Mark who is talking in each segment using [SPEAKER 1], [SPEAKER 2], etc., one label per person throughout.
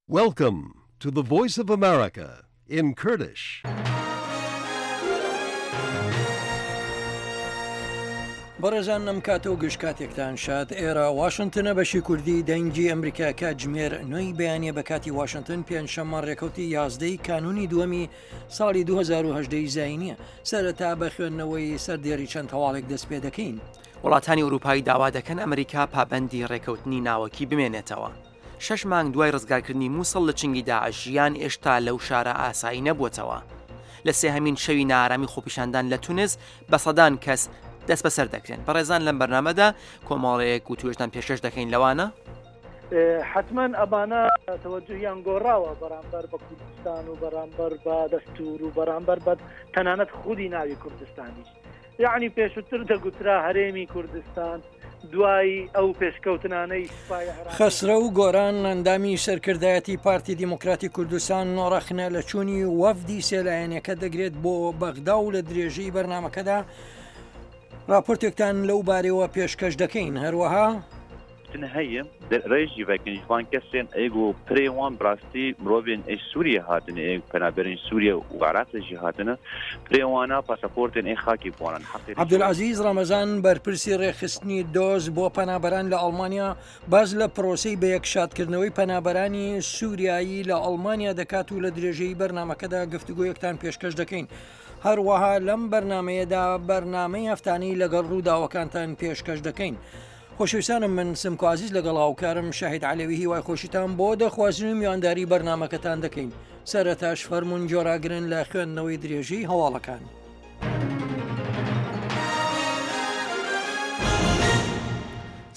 [SPEAKER 1] Welcome to the Voice of America in Kurdish.
[SPEAKER 2] بەڕێزان ئەم کاتە و گشت کاتێکتان شاد ئێرە واشنتنە بەشی کوردی دەنگی ئەمریکا کاتژمێر نوێی بەیانە بە کاتی واشنتن پێنجشەممە ڕێکەوتی یازدەی کانونی دووەمی ساڵی 2010 زینیە سەرەتا بە خوێندنەوەی سەردێری چەند هەواڵێک دەست پێ دەکەین.
[SPEAKER 3] وڵاتانی ئوروپایی داوا دەکەن ئەمریکا پابەندی ڕێکەوتنی ناوەکی بمێنێتەوە. شەش مانگ دوای ڕزگارکردنی موسڵ لە چنگی داعش ژیان ئێشتا لەو شارە ئاسایی نەبووەتەوە. لە سێهەمین شەوی نائارامی خۆپیشاندان لە تونس بە سەدان کەس دەستبەسەر دەکرێن. بەڕێزان لەم بەرنامەدا کۆمەڵێک وتوێژتان پێشکەش دەکەین لەوانە.
[SPEAKER 4] حەتمەن ئەمانە تەوەجوهیان گۆڕاوە بەرامبەر بە کوردستان و بەرامبەر بە دەستور و بەرامبەر بە تەنانەت خودی ناوی کوردستانیش. یەعنی پێشووتر دەگوترا هەرێمی کوردستان دوای ئەو پێشکەوتنانەی سوپای عێراق.
[SPEAKER 2] خەسرەو گۆران ئەندامی سەرکردایەتی پارتی دیموکراتی کوردستان ڕەخنە لە چوونی وەفدی سێلایەنەکە دەگرێت بۆ بەغدا و لە درێژەی بەرنمەکەدا راپۆرتێکتان لەو بارەوە پێشکەش دەکەین هەروەها
[SPEAKER 5] کوشتن هەیە رێ ژی ڤەکن ژ ڤان کەسێن ئێگ و پرێ وان براستی مرۆڤێن ئێ سوریە هاتنە ئێ پەنابەرên سوریە و عراقê ژی هاتنە پرێ وانا پاسەپۆرتێن ئێ خاکی بوانن حەقی
[SPEAKER 2] عەبدولعەزیز ڕەمەزان بەرپرسی ڕێکخستنی دۆز بۆ پەنابەران لە ئەڵمانیا باس لە پرۆسەی بەیەکشادکردنەوەی پەنابەرانی سووریایی لە ئەڵمانیا دەکات و لە درێژەی بەرنامەکەدا گفتوگۆیەکتان پێشکەش دەکەین. هەروەها لەم بەرنمەیەدا بەرنامەی هەفتانەی لەگەڵ ڕووداوەکانتان پێشکەش دەکەین. خۆشەویستانم من سمکۆ عزیز لەگەڵ هاوکارم شاهید عەلەوی هیوای خۆشیتان بۆ دەخوازین و میوانداری بەرنامەکەتان دەکەین سەرەتاش فەرمونون جۆراگرن لە خوێندنەوەی درێژەی هەواڵەکان.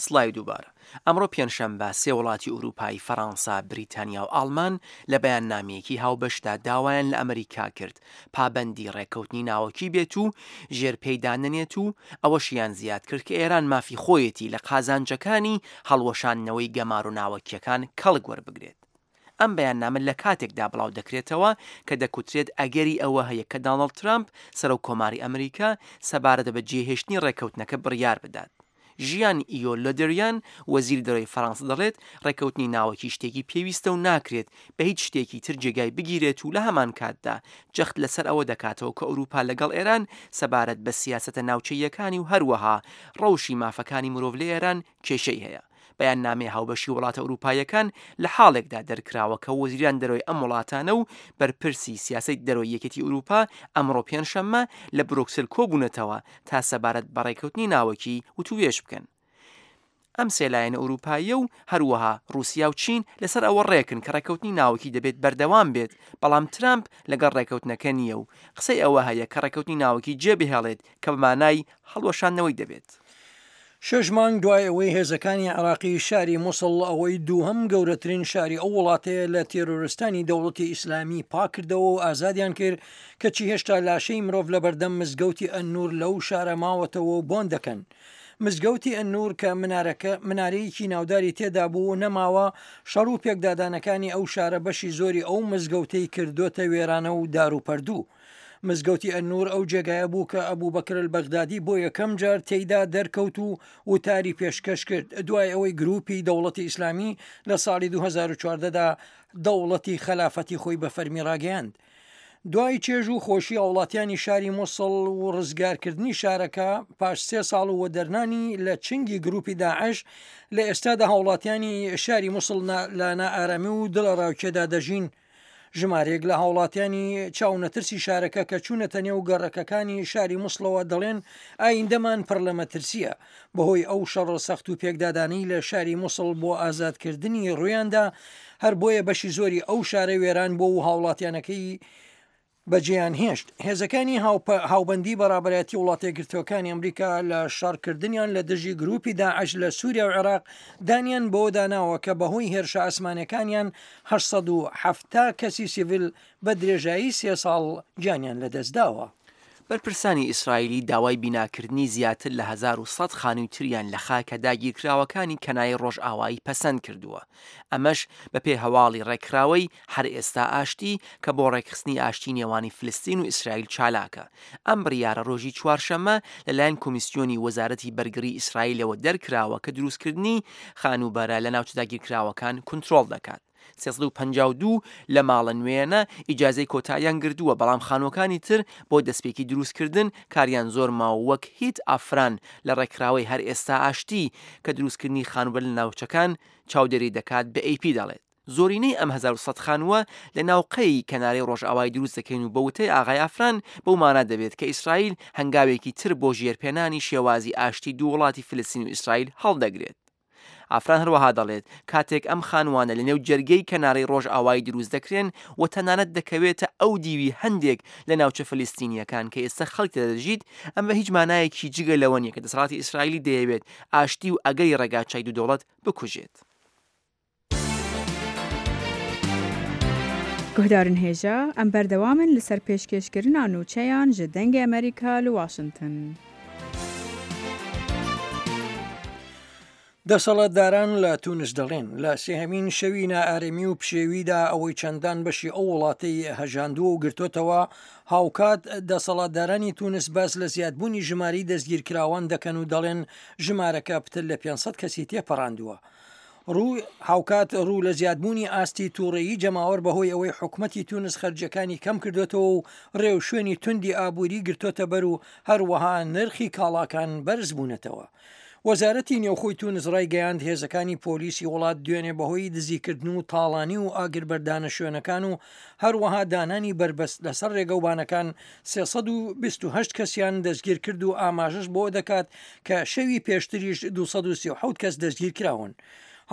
[SPEAKER 3] سڵاوی دووبارە. ئەمڕۆ پێنجشەمبە سێ وڵاتی ئورووپایی فەرانسە، بریتانیا و ئاڵمان لە بەیاننامەیەکی هاوبەشدا داوایان لە ئەمریکا کرد پابەندی ڕێککەوتنی ناوەکی بێت و ژێر پێی دانەنێت و ئەوەشیان زیاد کرد کە ئێران مافی خۆیەتی لە قازانجەکانی هەڵوەشاندنەوەی گەمارۆ ناوەکییەکان کەڵک وەربگرێت. ئەم بەیاننامە لە کاتێکدا بڵاو دەکرێتەوە کە دەکوترێت ئەگەری ئەوە هەیە کە دانڵد ترامپ سەرۆک کۆماری ئەمریکا سەبارەت بە جێهێشتنی ڕێککەوتنەکە بڕیار بدات. ژیان ئیۆ لۆدریان، وەزیری دەرەوەی فەرانسە دەڵێت، ڕێککەوتنی ناوەکی شتێکی پێویستە و ناکرێت بە هیچ شتێکی تر جێگای بگیرێت و لە هەمانکاتدا جەخت لەسەر ئەوە دەکاتەوە کە ئەوروپا لەگەڵ ئێران سەبارەت بە سیاسەتە ناوچەییەکانی و هەروەها ڕەوشی مافەکانی مرۆڤ لە ئێران کێشەی هەیە. بەیاننامەی هاوبەشی وڵاتە ئەوروپاییەکان لە حاڵێکدا دەرکراوە کە وەزیران دەرەوەی ئەم وڵاتانە و بەرپرسی سیاسەتی دەرەوەی یەکێتی ئەوروپا ئەمڕۆ پێنجشەممە لە برۆکسل کۆبوونەتەوە تا سەبارەت بە ڕێککەوتنی ناوەکی وتووێژ بکەن. ئەم سێ لایەنە ئەوروپاییە و هەروەها ڕووسیا و چین لەسەر ئەوە ڕێکن کە ڕێککەوتنی ناوەکی دەبێت بەردەوام بێت، بەڵام ترامپ لەگەڵ ڕێککەوتنەکە نییە و قسەی ئەوە هەیە کە ڕێککەوتنی ناوەکی جێبهێڵێت کە بە مانای هەڵوەشاندنەوەی دەبێت.
[SPEAKER 2] شەش مانگ دوای ئەوەی هێزەکانی عێراقی شاری موسڵ ئەوەی دووهەم گەورەترین شاری ئەو وڵاتەیە لە تێرۆرستانی دەوڵەتی ئیسلامی پاکردەوە و ئازادیان کرد، کەچی هێشتا لاشەی مرۆڤ لەبەردەم مزگەوتی ئەلنور لەو شارە ماوەتەوە و بۆن دەکەن. مزگەوتی ئەلنور کە منارەکە منارەیەکی ناوداری تێدا بوو نەماوە، شەڕ و پێکدادانەکانی ئەو شارە بەشی زۆری ئەو مزگەوتەی کردۆتە وێرانە و داروپەردوو. مزگەوتی ئەلنور ئەو جێگایە بوو کە ئەبوبەکر ئەلبەغدادی بۆ یەکەم جار تێیدا دەرکەوت و وتاری پێشکەش کرد دوای ئەوەی گروپی دەوڵەتی ئیسلامی لە ساڵی 2014 دا دەوڵەتی خەلافەتی خۆی بە فەرمی ڕاگەیاند. دوای چێژ و خۆشی هاوڵاتیانی شاری موسڵ و ڕزگارکردنی شارەکە پاش سێ ساڵ و وەدەرنانی لە چنگی گروپی داعش لە ئێستادا هاوڵاتیانی شاری موسڵ لە نائارامی و دڵەڕاوکێدا دەژین. ژمارەیەک لە هاوڵاتیانی چاونەترسی شارەکە کە چوونەتە نێو گەڕەکەکانی شاری موسڵەوە دەڵێن ئایندەمان پڕ لە مەترسییە بەهۆی ئەو شەڕە سەخت و پێکدادانەی لە شاری موسڵ بۆ ئازادکردنی ڕوویاندا، هەر بۆیە بەشی زۆری ئەو شارە وێران بووە و هاوڵاتیانەکەی بەجێیان هێشت. هێزەکانی هاوبەندی بە ڕابەرایەتی وڵاتەیەکگرتووەکانی ئەمریکا لە شەڕکردنیان لە دژی گرووپی داعش لە سووریا و عێراق دانیان بەوەدا ناوە کە بەهۆی هێرشە ئاسمانیەکانیان 870 کەسی سیڤیل بە درێژایی سێ ساڵ گیانیان لەدەستداوە.
[SPEAKER 3] بەرپرسانی ئیسرائیلی داوای بیناکردنی زیاتر لە 1100 خانووی تریان لە خاکە داگیرکراوەکانی کەنای ڕۆژئاوایی پەسەند کردووە، ئەمەش بەپێی هەواڵی ڕێکخراوەی، هەر ئێستا ئاشتی، کە بۆ ڕێکخستنی ئاشتی نێوانی فلستین و ئیسرائیل چالاکە. ئەم بڕیارە ڕۆژی چوارشەممە لەلایەن کۆمیسیۆنی وەزارەتی بەرگڕی ئیسرائیلەوە دەرکراوە کە دروستکردنی خانووبەرە لە ناوچە داگیرکراوەکان کونترۆڵ دەکات. 352 لە ماڵە نوێیانە ئیجازەی کۆتاییان گردووە، بەڵام خانووەکانی تر بۆ دەستپێکی دروستکردن کاریان زۆر ماوە وەک هیت ئافران لە ڕێکخراوەی هەر ئێستا ئاشتی کە دروستکردنی خانووبەرە لە ناوچەکان چاودێری دەکات بە ئەی پی دەڵێت. زۆرینەی ئەم 1100 خانووە لە ناوقەی کەنارەی ڕۆژئاوای دروست دەکەین و بە وتەی ئاغای ئافران بەو مانا دەبێت کە ئیسرائیل هەنگاوێکی تر بۆ ژێرپێنانی شێوازی ئاشتی دوو وڵاتی فلستین و ئیسرائیل هەڵدەگرێت. ئافران هەروەها دەڵێت، کاتێک ئەم خانووانە لەنێو جەرگەی کەنارەی ڕۆژئاوایی دروست دەکرێن و تەنانەت دەکەوێتە ئەو دیوی هەندێک لە ناوچە فلستینییەکان کە ئێستا خەڵک تێدا دەژیت، ئەمە هیچ مانایەکی جگە لەوە نییە کە دەسەڵاتی ئیسرائیلی دەیەوێت ئاشتی و ئەگەری ڕێگاچای دوو دەوڵەت بکوژێت.
[SPEAKER 6] Guhdarên hêja, em berdewam in li ser pêşkêşkirina nûçeyan ji Dengê Amerîka li Washington.
[SPEAKER 2] دەسەڵاتداران لە تونس دەڵێن، لە سێهەمین شەوی نائارەمی و پشێویدا ئەوەی چەندان بەشی ئەو وڵاتەی هەژاندووە و گرتۆتەوە، هاوکات دەسەڵاتدارانی تونس باس لە زیادبوونی ژمارەی دەستگیرکراوان دەکەن و دەڵێن ژمارەکە پتر لە 500 کەسی تێپەڕاندووە. ڕوو هاوکات ڕوو لە زیادبوونی ئاستی تووڕەیی جەماوەر بەهۆی ئەوەی حکومەتی تونس خەرجیەکانی کەم کردۆتەوە و ڕێوشوێنی توندی ئابووری گرتۆتە بەر و هەروەها نرخی کاڵاکان بەرز بوونەتەوە. وەزارەتی نێوخۆی تونس ڕایگەیاند هێزەکانی پۆلیسی وڵات دوێنێ بەهۆی دزیکردن و تاڵانی و ئاگربەردانە شوێنەکان و هەروەها دانانی بەربەست لەسەر ڕێگەوبانەکان 328 کەسیان دەستگیرکرد و ئاماژەش بەوە دەکات کە شەوی پێشتریش 237 کەس دەستگیرکراون.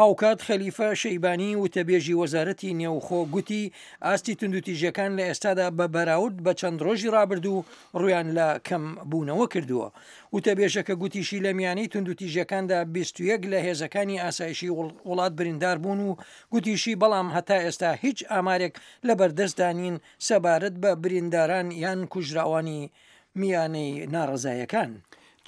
[SPEAKER 2] هاوکات خەلیفە شەیبانی وتەبێژی وەزارەتی نێوخۆ گوتی ئاستی توندوتیژیەکان لە ئێستادا بە بەراورد بە چەند ڕۆژی ڕابردوو ڕویان لە کەم بوونەوە کردووە. وتەبێژەکە گوتیشی لە میانەی توندوتیژیەکاندا 21 لە هێزەکانی ئاسایشی وڵات بریندار بوون و گوتیشی بەڵام هەتا ئێستا هیچ ئامارێک لەبەردەستدا نین سەبارەت بە برینداران یان کوژراوانی میانەی ناڕەزایەکان.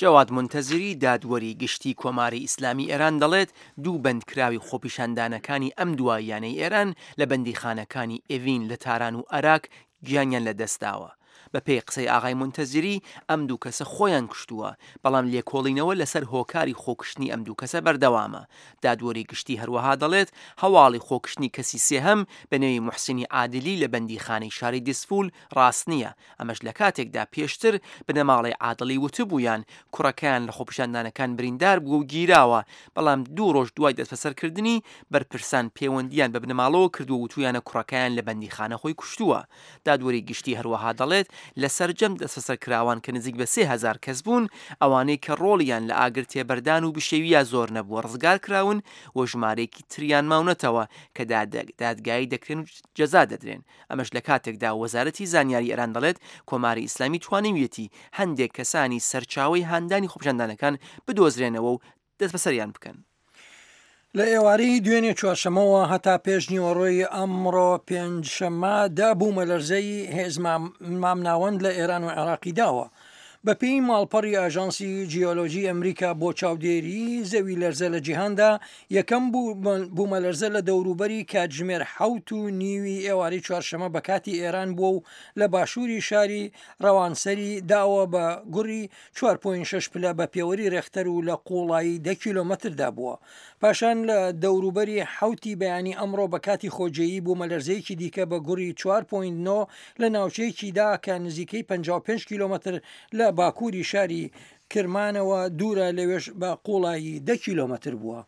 [SPEAKER 3] جەواد مونتەزری دادوەری گشتی کۆماری ئیسلامی ئێران دەڵێت دوو بەندکراوی خۆپیشاندانەکانی ئەم دواییانەی ئێران لە بەندیخانەکانی ئێڤین لە تاران و ئەراک گیانیان لە دەست داوە. بە پێی قسەی ئاغای مونتەزری ئەم دوو کەسە خۆیان کوشتووە، بەڵام لێکۆڵینەوە لەسەر هۆکاری خۆکوشتنی ئەم دوو کەسە بەردەوامە. دادوەری گشتی هەروەها دەڵێت هەواڵی خۆکوشتنی کەسی سێهەم بە نێوی موحسینی عادلی لە بەندیخانەی شاری دیزفول ڕاست نییە، ئەمەش لە کاتێکدا پێشتر بنەماڵەی عادڵی وتبوویان کوڕەکەیان لە خۆپیشاندانەکان بریندار بووە و گیراوە، بەڵام دوو ڕۆژ دوای دەستبەسەرکردنی، بەرپرسان پێوەندییان بە بنەماڵەوە کردووە و وتوویانە کوڕەکەیان لە بەندیخانە خۆی کوشتووە. دادوەری گشتی هەروەها دەڵێت، لە سەرجەم دەستبەسەرکراوان کە نزیک بە 3000 کەس بوون، ئەوانەی کە ڕۆڵیان لە ئاگر تێبەردان و بشێوییا زۆر نەبووە ڕزگارکراون و ژمارەیەکی تریان ماونەتەوە کە دادگایی دەکرێن و جەزا دەدرێن. ئەمەش لە کاتێکدا وەزارەتی زانیاری ئێران دەڵێت، کۆماری ئیسلامی توانیویەتی هەندێک کەسانی سەرچاوەی هاندانی خۆپیشاندانەکان بدۆزرێنەوە و دەستبەسەریان بکەن.
[SPEAKER 2] لە ئێوارەی دوێنێ چوارشەمەوە هەتا پێش نیوەڕۆی ئەمڕۆ پێنجشەممە دە بوومەلەرزەی هێز مامناوەند لە ئێران و عێراقی داوە. بەپێی ماڵپەڕی ئاژانسی جیۆلۆجی ئەمریکا بۆ چاودێری زەوی لەرزە لە جیهاندا، یەکەم بوومەلەرزە لە دەوروبەری کاتژمێر حەوت و نیوی ئێوارەی چوارشەمە بە کاتی ئێران بووە و لە باشووری شاری ڕەوانسەری داوە بە گوڕی 4.6 پلە بە پێوەری رێختەر و لە قووڵایی دە کیلۆمەتردا بووە. پاشان لە دەوروبەری حەوتی بەیانی ئەمڕۆ بە کاتی خۆجێیی بوومەلەرزەیەکی دیکە بە گوڕی 4.9 لە ناوچەیەکی دا کە نزیکەی 55 کیلۆمەتر لە باکووری شاری کرمانەوە دوورە لەوێش بە قووڵایی دە کیلۆمەتر بووە.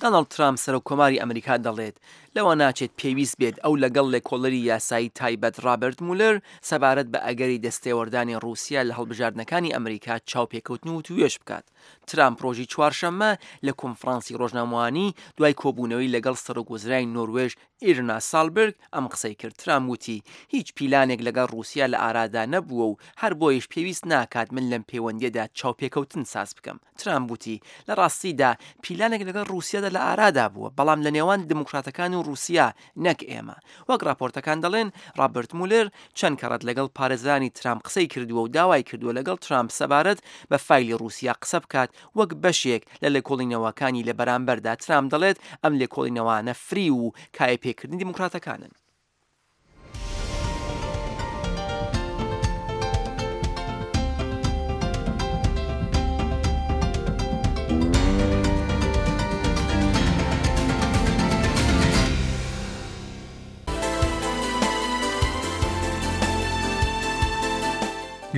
[SPEAKER 3] داناڵد ترامپ سەرۆک کۆماری ئەمریکا دەڵێت، لەوە ناچێت پێویست بێت ئەو لەگەڵ لێکۆڵەری یاسایی تایبەت ڕابەرت مولەر سەبارەت بە ئەگەری دەستێوەردانی ڕووسیا لە هەڵبژاردنەکانی ئەمریکا چاوپێکەوتن و وتووێژ بکات. ترامپ ڕۆژی چوارشەممە لە کۆنفرانسی ڕۆژنامەوانی دوای کۆبوونەوەی لەگەڵ سەرۆک وەزیرانی نۆروێژ ئیرنا سالبرگ ئەم قسەی کرد. ترامپ وتی، هیچ پیلانێک لەگەڵ ڕووسیا لە ئارادا نەبووە و هەر بۆیەش پێویست ناکات من لەم پەیوەندییەدا چاوپێکەوتن ساز بکەم. ترامپ وتی، لە ڕاستیدا پیلانێک لەگەڵ ڕووسیادا لە ئارادا بووە، بەڵام لە نێوان دیموکراتەکان و ڕووسیا نەک ئێمە. وەک ڕاپۆرتەکان دەڵێن، ڕابەرت مولەر چەند کەڕەت لەگەڵ پارێزەرانی ترامپ قسەی کردووە و داوای کردووە لەگەڵ ترامپ سەبارەت بە فایلی ڕووسیا قسە بکات وەک بەشێک لە لێکۆڵینەوەکانی لە بەرامبەردا ترامپ دەڵێت ئەم لێکۆڵینەوانە فریو و کایەپێکردنی دیموکراتەکانن.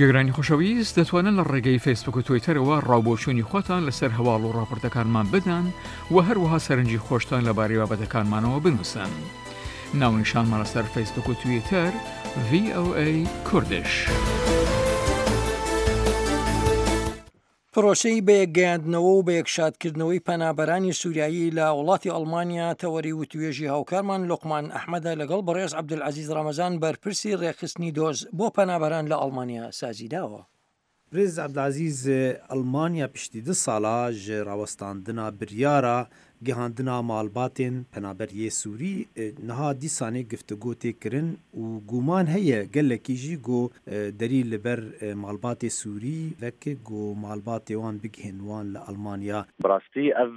[SPEAKER 7] گوێگرانی خۆشەویست دەتوانن لە ڕێگەی فەیسبوک و تویتەرەوە ڕاوبۆچوونی خۆتان لەسەر هەواڵ و ڕاپۆرتەکانمان بدەن و هەروەها سەرنجی خۆشتان لەبارەی بابەتەکانمانەوە بنووسن. ناونیشانمان لەسەر فەیسبوک و تویتەر VOA Kurdish.
[SPEAKER 2] پرۆسەی بەیەکگەیاندنەوە و بەیەکشادکردنەوەی پەنابەرانی سوریایی لە وڵاتی ئەڵمانیا تەوەری وتوێژی هاوکارمان لوقمان ئەحمەدە لەگەڵ بەڕێز عەبدولعەزیز ڕەمەزان بەرپرسی ڕێکخستنی دۆز بۆ پەنابەران لە ئەڵمانیا سازیداوە.
[SPEAKER 8] برێز عەبدولعەزیز ئەڵمانیا پشتی دو ساڵا ژ ڕاوەستاندنا بریارا گیهاندنا ماڵباتێن پەنابەر یێ سووری نها دیسانێ گفتگۆ تێ کرن و گومان هەیە گەلەکی ژی گۆ دەری li بەر ماڵباتێ سووری ڤەک گۆ ماڵباتێ وان بگهێن وان لە ئەڵمانیا.
[SPEAKER 5] بڕاستی ئەڤ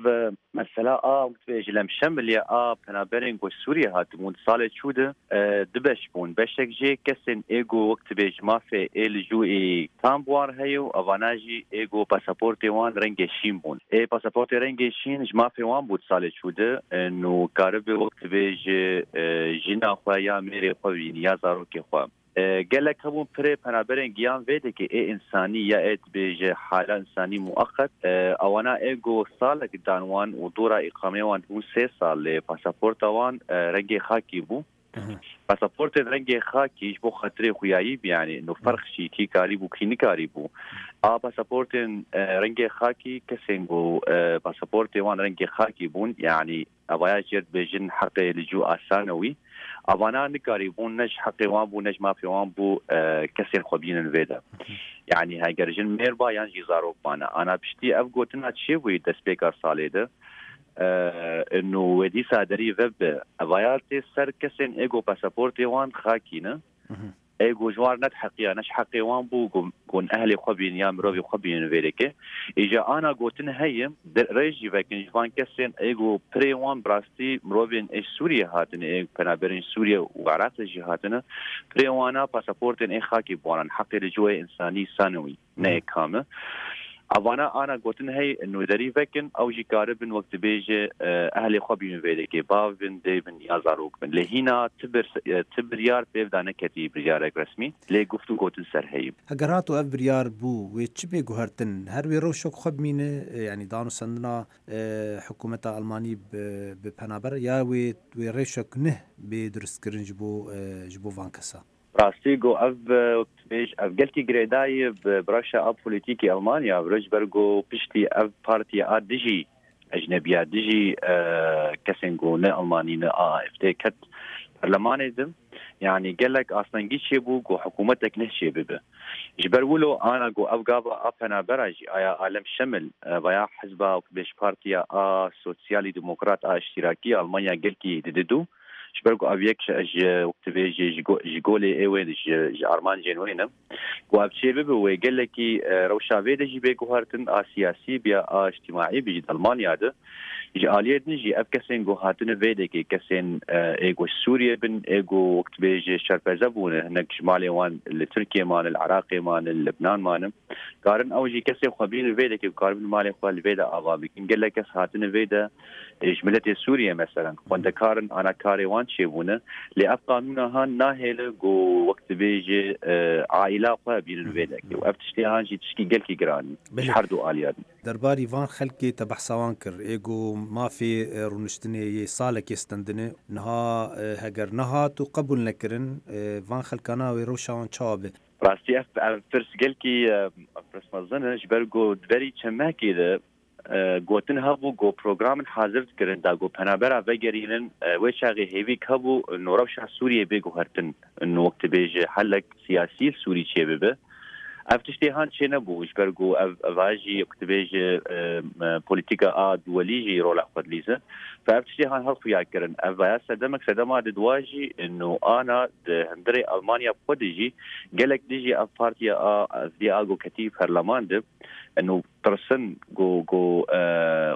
[SPEAKER 5] مەسەلا ئا وەک دبێژ لەم شەمل یە ئا پەنابەرێن گۆ سووریە هاتبوون سالێ چوو د دو بەش بوون بەشێک ژێ کەسێن ئێ گۆ وەک دبێژ مافێ ئێ لجوو ئێ تام بوار هەیە و ئەڤانا ژی ئێ گۆ پاساپۆرتێ وان رەنگێ شین بوون ئێ پاساپۆرتێ رەنگێ شین ژ مافێ وان بوو د سالێ چوو د نو کاربێ وەک دبێژ ژینا خوە یا mêrê xwe bînî ya zarokê xwe. Gelek hebûn pirê penaberên giyan vê dikê ê însanî ya ê dibêje hala însanî mueqet ewana ê ku salek dan wan û dora îqamê wan dibûn sê sal lê pasaporta wan rengê xakî bû. Pasaportên rengê xakî ji bo xatirê xuyayî bi yanî no ferq jî kî karîbû kî nikarîbû. A pasaportên rengê xakî kesên ku pasaportê wan rengê xakî bûn yanî Evaya jê dibêjin heqê li cû asan e wî. Evana nikarîbûn ne ji heqê wan bû ne ji mafê wan bû kesên xwe bînin vê de. Yanî heger jin mêr ba yan jî zarok bane. Ana piştî ev gotina çêbûyî destpêka salê de ino wê dîsa derî vebe. Evaya tê ser kesên êgo pasaportê wan xakî ne. Ê ku ji wan nediheqiya, ne ji heqê wan bû ku ku ehlê xwe bînin ya mirovê xwe bînin vê dikê. Îja ana gotin heye, rê jî vekin ji van kesên ê ku pirê wan bi rastî mirovên ê ji Sûriyê hatine, ê penaberên ji Sûriye û Iraqê jî hatine, pirê wana pasaportên ê xakê bi wan in, heqê li cihê însanî sanewî. Ne kam e. Evana ana gotin hey nûderî vekin ew jî karibin wek dibêje ehlê xwe bînin vê dikê bav bin dê bin ya zarok bin. Lê hîna ti bir ti biryar pêv da neketî biryarek resmî lê guft û gotin ser heyî.
[SPEAKER 8] Heger hat û ev biryar bû wê çi bê guhertin? Her wê rewşek xwe bimîne yanî danûsendina hikûmeta Elmanî bi penaber ya wê wê rewşek nih bê dirustkirin ji bo ji bo van kesa?
[SPEAKER 5] Rastî ku ev wek tu bêj ev gelkî girêdayî bi rewşa a polîtîkê Elmanya bi ji ber ku piştî ev partiya a dijî ecnebiya dijî kesên ku ne Elmanî ne AFD ket perlemanê di yanî gelek astengî çêbû ku hikûmetek neh çêbibe. Ji ber wilo ana ku ev gava a penabera jî aya Alem Şemil veya hizba wek tu bêj partiya a Sosyalî Demokrat a Îştîrakî Elmanya gelkî dididû Ji ber ku ev yek ji wek tu bêjî ji golê ê wê ji armancên wê ne. Ku ev çê bibe wê gelekî rewşa vê de jî bê guhertin a siyasî bi ya a îctîmaî bi jî di Elmanya de. Ji aliyê din jî ev kesên ku hatine vê dekê kesên ê ku ji Sûriyê bin ê ku wek tu bêjî şerpeze bûne hinek ji malê wan li Tirkiyê mane li Iraqê mane li Libnan mane karin ew jî kesê xwe bînin vê dekê ku karibin malê xwe li vê de ava bikin. Gelek kes hatine vê de Ji miletê Sûriyê meselen xwendekar in ana karê wan çêbûne lê ev qanûna han nahêle ku wek dibêje aîla xwe bînin vê dekê û ev tiştê han jî tişkî gelkî giran in ji her du aliya din.
[SPEAKER 8] Derbarî van xelkê te behsa wan kir ê ku mafê rûniştinê yê salekê stendine niha heger nehat û qebûl nekirin van xelkana wê rewşa wan çawa be?
[SPEAKER 5] Rastî ev pirs gelkî pirs mezin e ji ber ku di berî çend mehekê de Gotin hebû ku programin hazir dikirin da ku penabera vegerînin wê çaxê hêvîk hebû no rewşa Sûriyê bê guhertin no wek dibêje helek siyasî li Sûrî çêbibe. Ev tiştê han çênebû ji ber ku ev eva jî wek dibêje polîtîka a duwelî jî rola xwe dilîze. Fe ev tiştê han her xuya kirin. Ev vaya sedemek sedema di dwa jî no ana di hundirê Almanya bi xwe de jî gelek dijî ev partiya a FDA ku ketî perleman de no Tirsin ku ku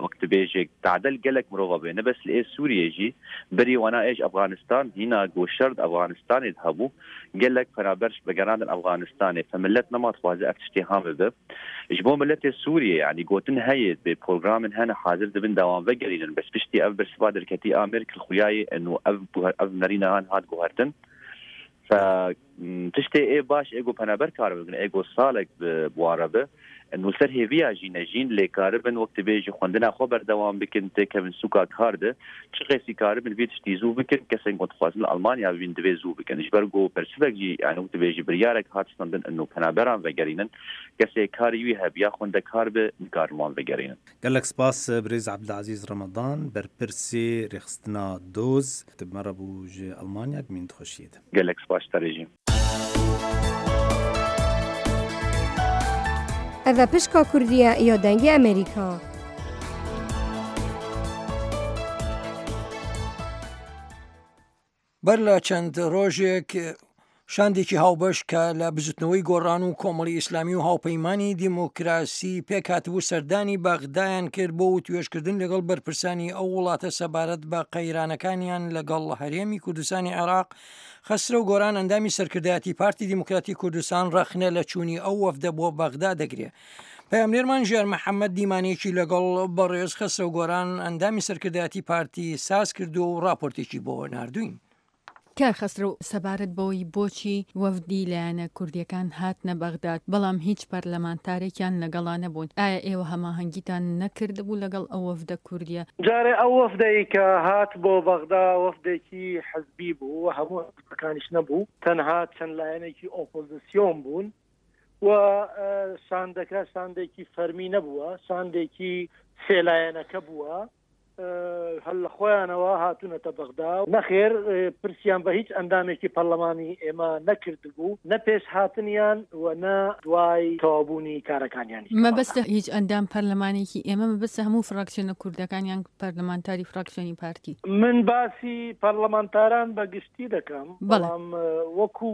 [SPEAKER 5] wek dibêje tadel gelek mirova bê ne bes li ê Sûriyê jî berî wana ê ji Efxanistan hîna ku şer di Efxanistanê de hebû gelek penaber ji vegerandin Efxanistanê fe milet nema dixwaze ev tiştê han bibe ji bo miletê Sûriyê yanî gotin heye dibê programên hene hazir dibin da wan vegerînin bes piştî ev bersiva derketî a Merkel xuyayê eno ev ev nerîna han hat guhertin. تشتێ ئێ باش ئێ گو پەنابەر کار بکن ئێ گو ساڵێک بوارە بە نووسەر هێڤیا ژی نەژین لێ کاربن وەک تبێژی خوندنا خۆ بەردەوام بکن تێکەون سوکا کار ده چ قێسی کاربن vê tiştî zû bikin kesên ku dixwazin li Almanya bibîn divê zû bikin ji ber ku bersivek jî yani wek dibêjî biryarek hat standin ino penaberan vegerînin kesê karî wî hebe ya xwendekar be nikarin wan vegerînin.
[SPEAKER 8] Gelek spas birêz Ebdilezîz Remedan berpirsê rêxistina Doz tu bi me re bû ji Elmanya bimîn di xweşiyê de.
[SPEAKER 5] Gelek spas ji te re jî.
[SPEAKER 9] Ev e pişka Kurdî ye ya Dengê Amerîka.
[SPEAKER 2] بەر لە چەند ڕۆژێک شاندێکی هاوبەش کە لە بزوتنەوەی گۆڕان و کۆمەڵی ئیسلامی و هاوپەیمانی دیموکراسی پێکهاتبوو سەردانی بەغدایان کرد بۆ وتوێژکردن لەگەڵ بەرپرسانی ئەو وڵاتە سەبارەت بە قەیرانەکانیان لەگەڵ هەرێمی کوردستانی عێراق خەسرەو گۆران ئەندامی سەرکردایەتی پارتی دیموکراتی کوردستان ڕەخنە لە چوونی ئەو وەفدە بۆ بەغدا دەگرێ. پەیامنێرمان ژیار محەممەد دیمانەیەکی لەگەڵ بەڕێز خەسرەو گۆران ئەندامی سەرکردایەتی پارتی ساز کردووە و ڕاپۆرتێکی بۆ ناردووین.
[SPEAKER 10] کاک خەسرەو سەبارەت بەوەی بۆچی وەفدی لایەنە کوردیەکان هاتنە بەغداد بەڵام هیچ پەرلەمانتارێکیان لەگەڵا نەبوون ئایا ئێوە هەماهەنگیتان نەکردبوو لەگەڵ ئەو وەفدە کوردیە؟
[SPEAKER 4] جارێ ئەو وەفدەی کە هات بۆ بەغدا وەفدێکی حزبی بوو و هەموو حزبەکانیش نەبوو تەنها چەند لایەنێکی ئۆپۆزسیۆن بوون و شاندەکە شاندێکی فەرمی نەبووە شاندێکی سێ لایەنەکە بووە هەر لە خۆیانەوە هاتوونەتە بەغدا. نەخێر پرسیان بە هیچ ئەندامێکی پەرلەمانی ئێمە نەکردبوو، نە پێش هاتنیان و نە دوای تەواوبوونی کارەکانیانیش لە بەغدا.
[SPEAKER 10] مەبەستە هیچ ئەندام پەرلەمانێکی ئێمە، مەبەستە هەموو فراکسیۆنە کوردەکان یان پەرلەمانتاری فراکسیۆنی پارتی؟
[SPEAKER 4] من باسی پەرلەمانتاران بە گشتی دەکەم، بەڵام وەکو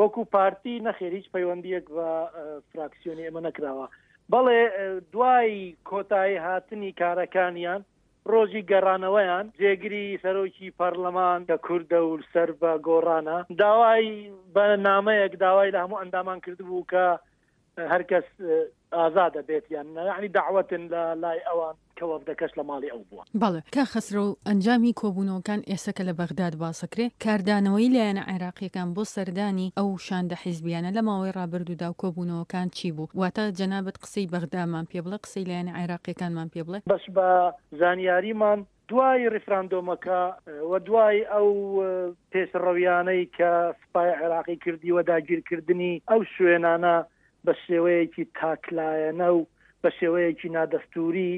[SPEAKER 4] وەکو پارتی نەخێر هیچ پەیوەندییەک بە فراکسیۆنی ئێمە نەکراوە. بەڵێ دوای کۆتایی هاتنی کارەکانیان ڕۆژی گەڕانەوەیان جێگری سەرۆکی پەڕلەمان کە کوردە و سەر بە گۆڕانە داوای بە نامەیەک داوای لە هەموو ئەندامان کردبوو کە هەرکەس ئازادە بێت یان نا یەعنی دەعوەتن لە لای ئەوان کە وەفدەکەش لە ماڵی ئەو بووە.
[SPEAKER 10] بەڵێ کاک خەسرەو ئەنجامی کۆبوونەوەکان ئێستا کە لە بەغداد باسەکرێ کاردانەوەی لایەنە عێراقیەکان بۆ سەردانی ئەو شاندە حیزبیانە لە ماوەی ڕابردوودا و کۆبوونەوەکان چی بوو واتە جەنابت قسەی بەغدامان پێ بڵێ قسەی لایەنە عێراقیەکانمان پێ بڵێ.
[SPEAKER 4] بەس بە زانیاریمان دوای ڕیفراندۆمەکە و دوای ئەو پێشڕەویانەی کە سوپای عێراقی کردی و داگیرکردنی ئەو شوێنانە بە شێوەیەکی تاکلایەنە و بە شێوەیەکی نادەستووری،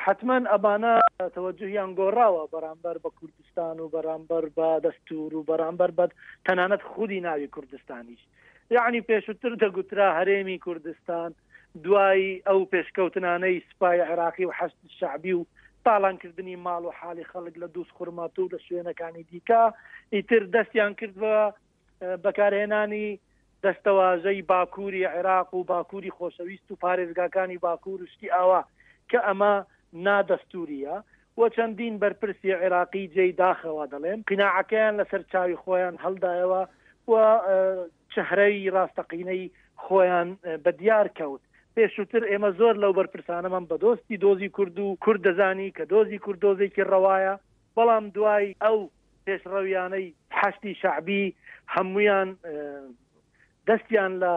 [SPEAKER 4] حەتمەن ئەمانە تەوەجوهیان گۆڕاوە بەرامبەر بە کوردستان و بەرامبەر بە دەستوور و بەرامبەر بە تەنانەت خودی ناوی کوردستانیش. یەعنی پێشووتر دەگوترا هەرێمی کوردستان، دوای ئەو پێشکەوتنانەی سوپای عێراقی و حەشد شەعبی و تاڵانکردنی ماڵ و حاڵی خەڵک لە دووزخورماتوو و لە شوێنەکانی دیکە، ئیتر دەستیان کرد بە بەکارهێنانی دەستەواژەی باکووری عێراق و باکووری خۆشەویست و پارێزگاکانی باکوور و شتی ئاوا کە ئەمە نادەستوورییە و چەندین بەرپرسی عێراقی جێی داخەوە دەڵێم قیناعەکەیان لەسەر چاوی خۆیان هەڵدایەوە و چەهرەی ڕاستەقینەی خۆیان بە دیار کەوت. پێشووتر ئێمە زۆر لەو بەرپرسانەمان بە دۆستی دۆزی کورد و کورد دەزانی کە دۆزی کورد دۆزێکی ڕەوایە، بەڵام دوای ئەو پێشڕەویانەی حەشدی شەعبی هەموویان دەستیان لە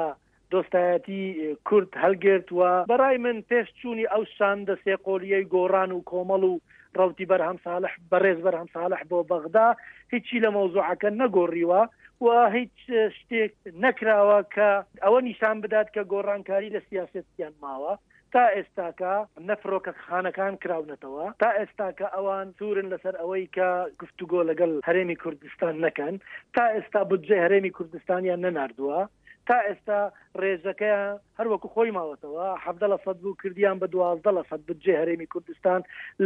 [SPEAKER 4] دۆستایەتی کورد هەلگرت و بەڕای من پێش چوونی ئەو شاندە سێقۆلییەی گۆڕان و کۆمەڵ و ڕەوتی بەرهەم ساڵح بەڕێز بەرهەم ساڵح بۆ بەغدا هیچی لە مەوزوعەکە نەگۆڕیوە و هیچ شتێک نەکراوە کە ئەوە نیشان بدات کە گۆڕانکاری لە سیاسەتیان ماوە. تا ئێستاکە نە فڕۆکەخانەکان کراونەتەوە، تا ئێستاکە ئەوان سوورن لەسەر ئەوەی کە گفتوگۆ لەگەڵ هەرێمی کوردستان نەکەن، تا ئێستا بودجەی هەرێمی کوردستانیان نەناردووە، تا ئێستا ڕێژەکەیان هەر وەکو خۆی ماوەتەوە، 17 لە سەد بوو کردیان بە 12 لە سەد بودجەی هەرێمی کوردستان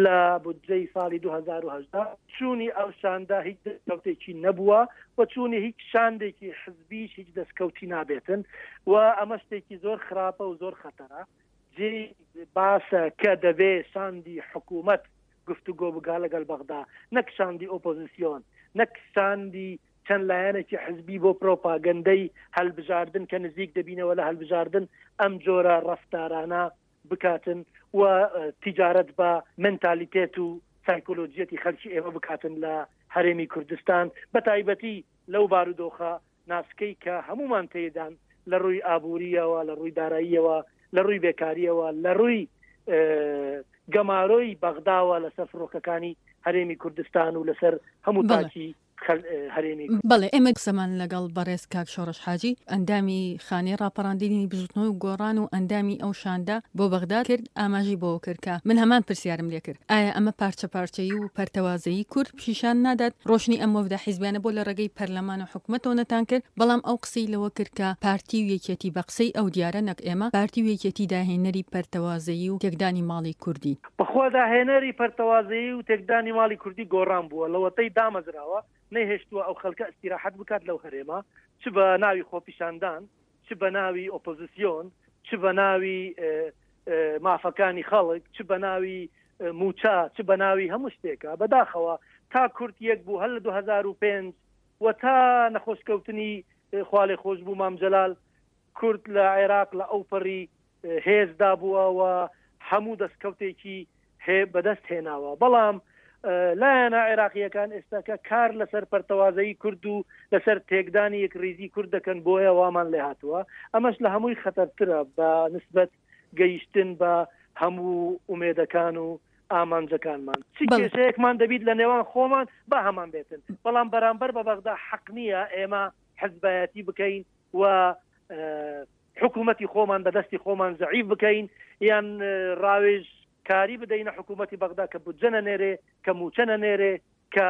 [SPEAKER 4] لە بودجەی ساڵی 2018. چوونی ئەو شاندە هیچ دەستکەوتێکی نەبووە و چوونی هیچ شاندێکی حزبیش هیچ دەستکەوتی نابێتن و ئەمە شتێکی زۆر خراپە و زۆر خەتەرە. جێی باسە کە دەبێ شاندی حکوومەت گفتوگۆ بکا لەگەل بەغدا نەک شاندی ئۆپۆزیسیۆن، نەک شاندی چەند لایەنێکی حزبی بۆ پرۆپاگەندەی هەلبژاردن کە نزیک دەبینەوە لە هەلبژاردن ئەم جۆرە ڕەفتارانە بکاتن و تیجارەت بە منتالیتێت و سایکۆلۆجیەتی خەلکی ئێمە بکاتن لە. هەرێمی کوردستان بە تایبەتی لەو بارودۆخە ناسکەی کە هەموومان تێیدان لە ڕووی ئابوورییەوە، لە ڕووی داراییەوە، لە ڕووی بێکارییەوە، لە ڕووی گەمارۆی بەغداوە لەسەر فڕۆکەکانی هەرێمی کوردستان و لەسەر هەموو تاکی هەرێمی.
[SPEAKER 10] بەڵێ ئێمە قسەمان لەگەڵ بەڕێز کاک شۆڕش حاجی ئەندامی خانەی ڕاپەڕاندنی بزوتنەوەی گۆڕان و ئەندامی ئەو شاندە بۆ بەغدا کرد ئاماژەی بەوە کرد کە من هەمان پرسیارم لێکرد ئایا ئەمە پارچە پارچەیی و پەرتەوازەیی کورد پیشان نادات ڕۆشنی ئەم وەفدە حیزبیانە بۆ لە ڕێگەی پەرلەمان و حکومەتەوە نەتان کرد بەڵام ئەو قسەی لەوە کرد کە پارتی و یەکێتی بە قسەی ئەو دیارە نەک ئێمە پارتی و یەکێتی داهێنەری پەرتەوازەیی و تێکدانی ماڵی کوردی.
[SPEAKER 4] بەخوا داهێنەری پەرتەوازەیی و تێکدانی ماڵی کوردی گۆڕان بووە لەوەتەی دامەزراوە نەیهێشتووە ئەو خەلکە ئیستیراحەت بکات لەو هەرێمە چ بە ناوی خۆپیشاندان چ بە ناوی ئۆپۆزیسیۆن چ بە ناوی مافەکانی خەڵک چ بە ناوی مووچە چ بە ناوی هەموو شتێکە بەداخەوە تا کورد یەک بوو هەر لە 2005 و تا نەخۆشکەوتنی خوالێخۆشبوو مام جەلال کورد لە عێراق لە ئەوپەڕی هێزدا بووە و هەموو دەستکەوتێکی بەدەست هێناوە بەڵام لایەنە عێراقییەکان ئێستاکە کار لەسەر پەرتەوازەیی کورد و لەسەر تێکدانی یەکڕیزی کورد دەکەن بۆیە وامان لێهاتووە ئەمەش لە هەمووی خەتەرترە بە نسبەت گەیشتن بە هەموو ئومێدەکان و ئامانجەکانمان چ کێشەیەکمان دەبیت لە نێوان خۆمان با هەمان بێتن بەڵام بەرامبەر بە بەغدا حەق نییە ئێمە حزبایەتی بکەین و حکوومەتی خۆمان بە دەستی خۆمان زەعیف بکەین یان ڕاوێژ کاری بدەینە حکوومەتی بەغدا کە بودجە نەنێرێ کە مووچە نەنێرێ کە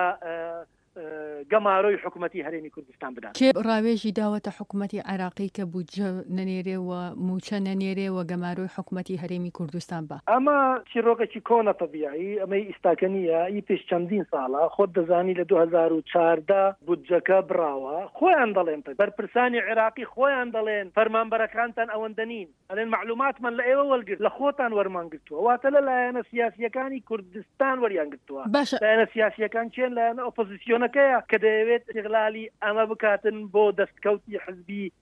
[SPEAKER 4] گەمارۆی حکومەتی هەرێمی کوردستان بدات.
[SPEAKER 10] کێ ڕاوێژی داوەتە حکومەتی عێراقی کە بودجە نەنێرێ و مووچە نەنێرێ و گەمارۆی حکومەتی هەرێمی کوردستان با؟
[SPEAKER 4] ئەمە چیڕۆکێکی کۆنە تەبیعی ئەمەی ئیستاکە نییە ئی پێش چەندین ساڵە خۆت دەزانی لە 2014 بودجەکە بڕاوە خۆیان دەڵێن بەرپرسانی عێراقی خۆیان دەڵێن فەرمانبەرەکانتان ئەوەندە نین ئەلێن مەعلوماتمان لە ئێوە وەرگرت لە خۆتان وەرمان گرتووە واتە لە لایەنە سیاسییەکانی کوردستان وەریان گرتووە
[SPEAKER 10] باشە.
[SPEAKER 4] لایەنە سیاسییەکان کێن لایەنە ئۆپۆزیسیۆنەکەیە کە دەیەوێت ئیستیغلالی ئەمە بکاتن بۆ دەستکەوتی حزبی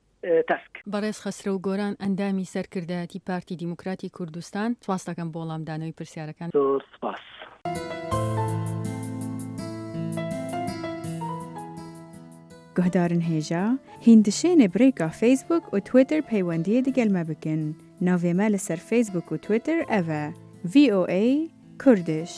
[SPEAKER 4] تەسک.
[SPEAKER 10] بەڕێز خەسرەو گۆران ئەندامی سەرکردایەتی پارتی دیموکراتی کوردستان سپاست دەکەم بۆ وەڵامدانەوەی پرسیارەکان.
[SPEAKER 4] زۆر سپاس.
[SPEAKER 6] Guhdarin hêja, hîn dişênê bi rêka Facebook û Twitter peywendiyê digel me bikin. Navê me li ser Facebook û Twitter ev e, VOA Kurdish.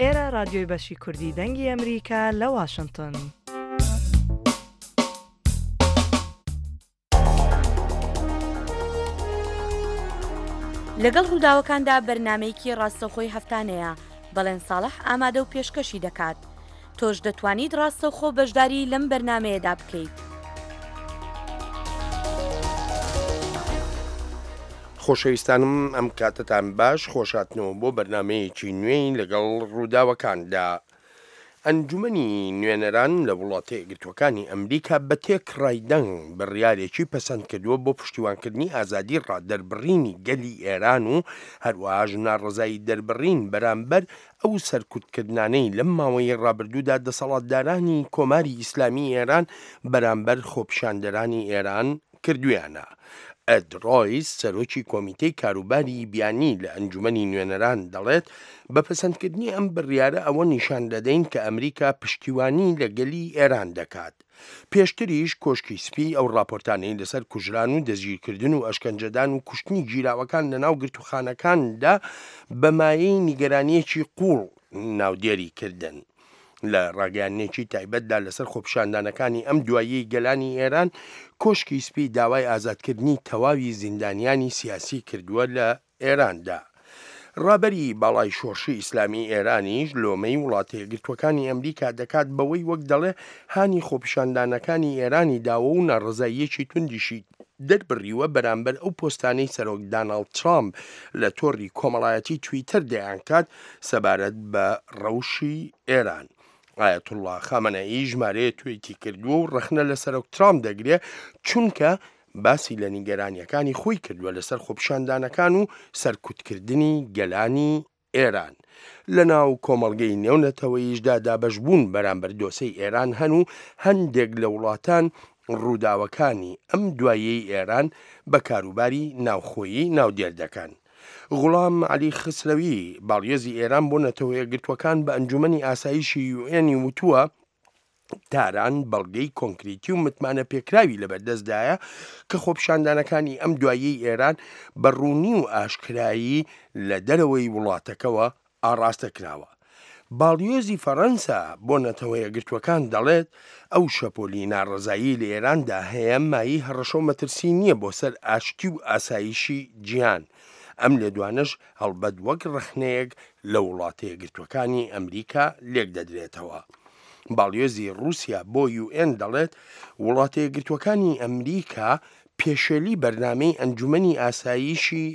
[SPEAKER 11] ئێرە ڕادیۆی بەشی کوردی دەنگی ئەمریکا لە واشنتن.
[SPEAKER 12] لەگەڵ ڕووداوەکاندا بەرنامەیەکی ڕاستەوخۆی هەفتانەیە، بەڵێن ساڵح ئامادە و پێشکەشی دەکات. تۆش دەتوانیت ڕاستەوخۆ بەشداری لەم بەرنامەیەدا بکەیت.
[SPEAKER 13] خۆشەویستانم ئەم کاتەتان باش خۆشهاتنەوە بۆ بەرنامەیەکی نوێی لەگەڵ ڕووداوەکاندا. ئەنجومەنی نوێنەران لە وڵاتە یەکگرتووەکانی ئەمریکا بە تێکڕای دەنگ بڕیارێکی پەسەند کردووە بۆ پشتیوانکردنی ئازادی ڕادەربڕینی گەلی ئێران و هەروەهاش ناڕەزایی دەربڕین بەرامبەر ئەو سەرکوتکردنانەی لەم ماوەی ڕابردوودا دەسەڵاتدارانی کۆماری ئیسلامی ئێران بەرامبەر خۆپیشاندەرانی ئێران کردوویانە. ئێد ڕۆیس، سەرۆکی کۆمیتەی کاروباری بیانی لە ئەنجومەنی نوێنەران دەڵێت، بە پەسەندکردنی ئەم بڕیارە ئەوە نیشان دەدەین کە ئەمریکا پشتیوانی لە گەلی ئێران دەکات. پێشتریش کۆشکی سپی ئەو ڕاپۆرتانەی لەسەر کوژران و دەستگیرکردن و ئەشکەنجەدان و کوشتنی گیراوەکان لەناو گرتووخانەکاندا بە مایەی نیگەرانییەکی قووڵ ناودێری کردن. لە ڕاگەیاندنێکی تایبەتدا لەسەر خۆپیشاندانەکانی ئەم دواییەی گەلانی ئێران، کۆشکی سپی داوای ئازادکردنی تەواوی زیندانیانی سیاسی کردووە لە ئێراندا. ڕابەری باڵای شۆڕشی ئیسلامی ئێرانیش لۆمەی وڵاتەیەکگرتووەکانی ئەمریکا دەکات بەوەی وەک دەڵێ هانی خۆپیشاندانەکانی ئێرانی داوە و ناڕەزاییەکی توندیشی دەربڕیوە بەرامبەر ئەو پۆستانەی سەرۆک داناڵد ترامپ لە تۆڕی کۆمەڵایەتی تویتەر دەیانکات سەبارەت بە ڕەوشی ئێران. ئایەتوڵڵا خامەنەئی ژمارەیە تویتی کردووە و ڕەخنە لە سەرۆک ترامپ دەگرێ چونکە باسی لە نیگەرانییەکانی خۆی کردووە لەسەر خۆپیشاندانەکان و سەرکوتکردنی گەلانی ئێران. لە ناو کۆمەڵگەی نێونەتەوەییشدا دابەشبوون بەرامبەر دۆسێی ئێران هەن و هەندێک لە وڵاتان ڕووداوەکانی ئەم دواییەی ئێران بە کاروباری ناوخۆیی ناودێر دەکەن. غوڵام عەلی خسرەوی، باڵیۆزی ئێران بۆ نەتەوەیەکگرتووەکان بە ئەنجومەنی ئاسایشی یوئێنی وتووە، تاران بەڵگەی کۆنکریتی و متمانەپێکراوی لەبەردەستدایە کە خۆپیشاندانەکانی ئەم دواییەی ئێران بە ڕوونی و ئاشکرایی لە دەرەوەی وڵاتەکەوە ئاڕاستە کراوە. باڵیۆزی فەڕەنسا بۆ نەتەوەیەکگرتووەکان دەڵێت، ئەو شەپۆلی ناڕەزایی لە ئێراندا هەیە مایەی هەڕەشە و مەترسی نییە بۆ سەر ئاشتی و ئاسایشی جیهان. ئەم لێدوانەش هەڵبەت وەک ڕەخنەیەک لە وڵاتەیەکگرتووەکانی ئەمریکا لێکدەدرێتەوە. باڵیۆزی ڕووسیا بۆ یو ئێن دەڵێت، وڵاتەیەکگرتووەکانی ئەمریکا پێشێلی بەرنامەی ئەنجومەنی ئاسایشی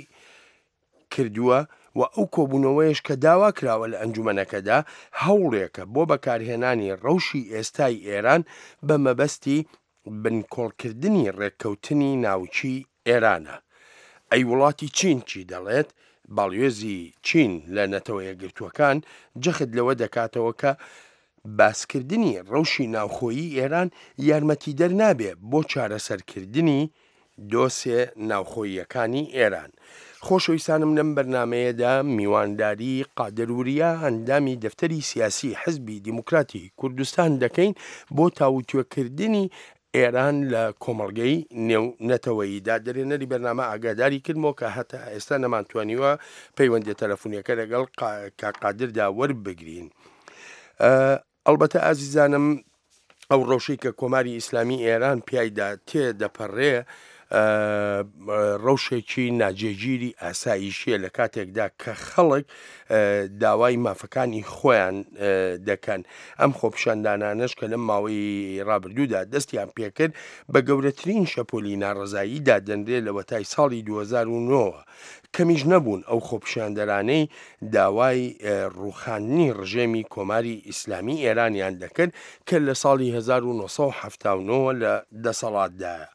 [SPEAKER 13] کردووە و ئەو کۆبوونەوەیەش کە داوا کراوە لە ئەنجومەنەکەدا هەوڵێکە بۆ بەکارهێنانی ڕەوشی ئێستای ئێران بە مەبەستی بنکۆڵکردنی ڕێککەوتنی ناوکی ئێرانە. ئەی وڵاتی چین چی دەڵێت؟ باڵیۆزی چین لە نەتەوە یەکگرتووەکان جەخت لەوە دەکاتەوە کە باسکردنی ڕەوشی ناوخۆیی ئێران یارمەتیدەر نابێ بۆ چارەسەرکردنی دۆسێ ناوخۆییەکانی ئێران. خۆشەویستانم لەم بەرنامەیەدا میوانداری قادر وریا ئەندامی دەفتەری سیاسی حزبی دیموکراتی کوردستان دەکەین بۆ تاوتوێکردنی ئێران لە کۆمەڵگەی نێو نەتەوەییدا. دەرهێنەری بەرنامە ئاگاداری کردمەوە کە هەتا ئێستا نەمانتوانیوە پەیوەندیە تەلەفونیەکە لەگەڵ کاک قادردا وەربگرین. ئەڵبەتە ئازیزانم ئەو ڕەوشەی کە کۆماری ئیسلامی ئێران پیایدا تێدەپەڕێ. ڕەوشێکی ناجێگیری ئاسایشیە لە کاتێکدا کە خەڵک داوای مافەکانی خۆیان دەکەن. ئەم خۆپیشاندانانەش کە لەم ماوەی ڕابردوودا دەستیان پێکرد بە گەورەترین شەپۆلی ناڕەزایی دادەنرێ لەوەتای ساڵی 2009 ەوە. کەمیش نەبوون ئەو خۆپیشاندەرانەی داوای ڕووخاندنی ڕژێمی کۆماری ئیسلامی ئێرانیان دەکرد کە لە ساڵی 1970 ەوە لە دەسەڵاتدایە.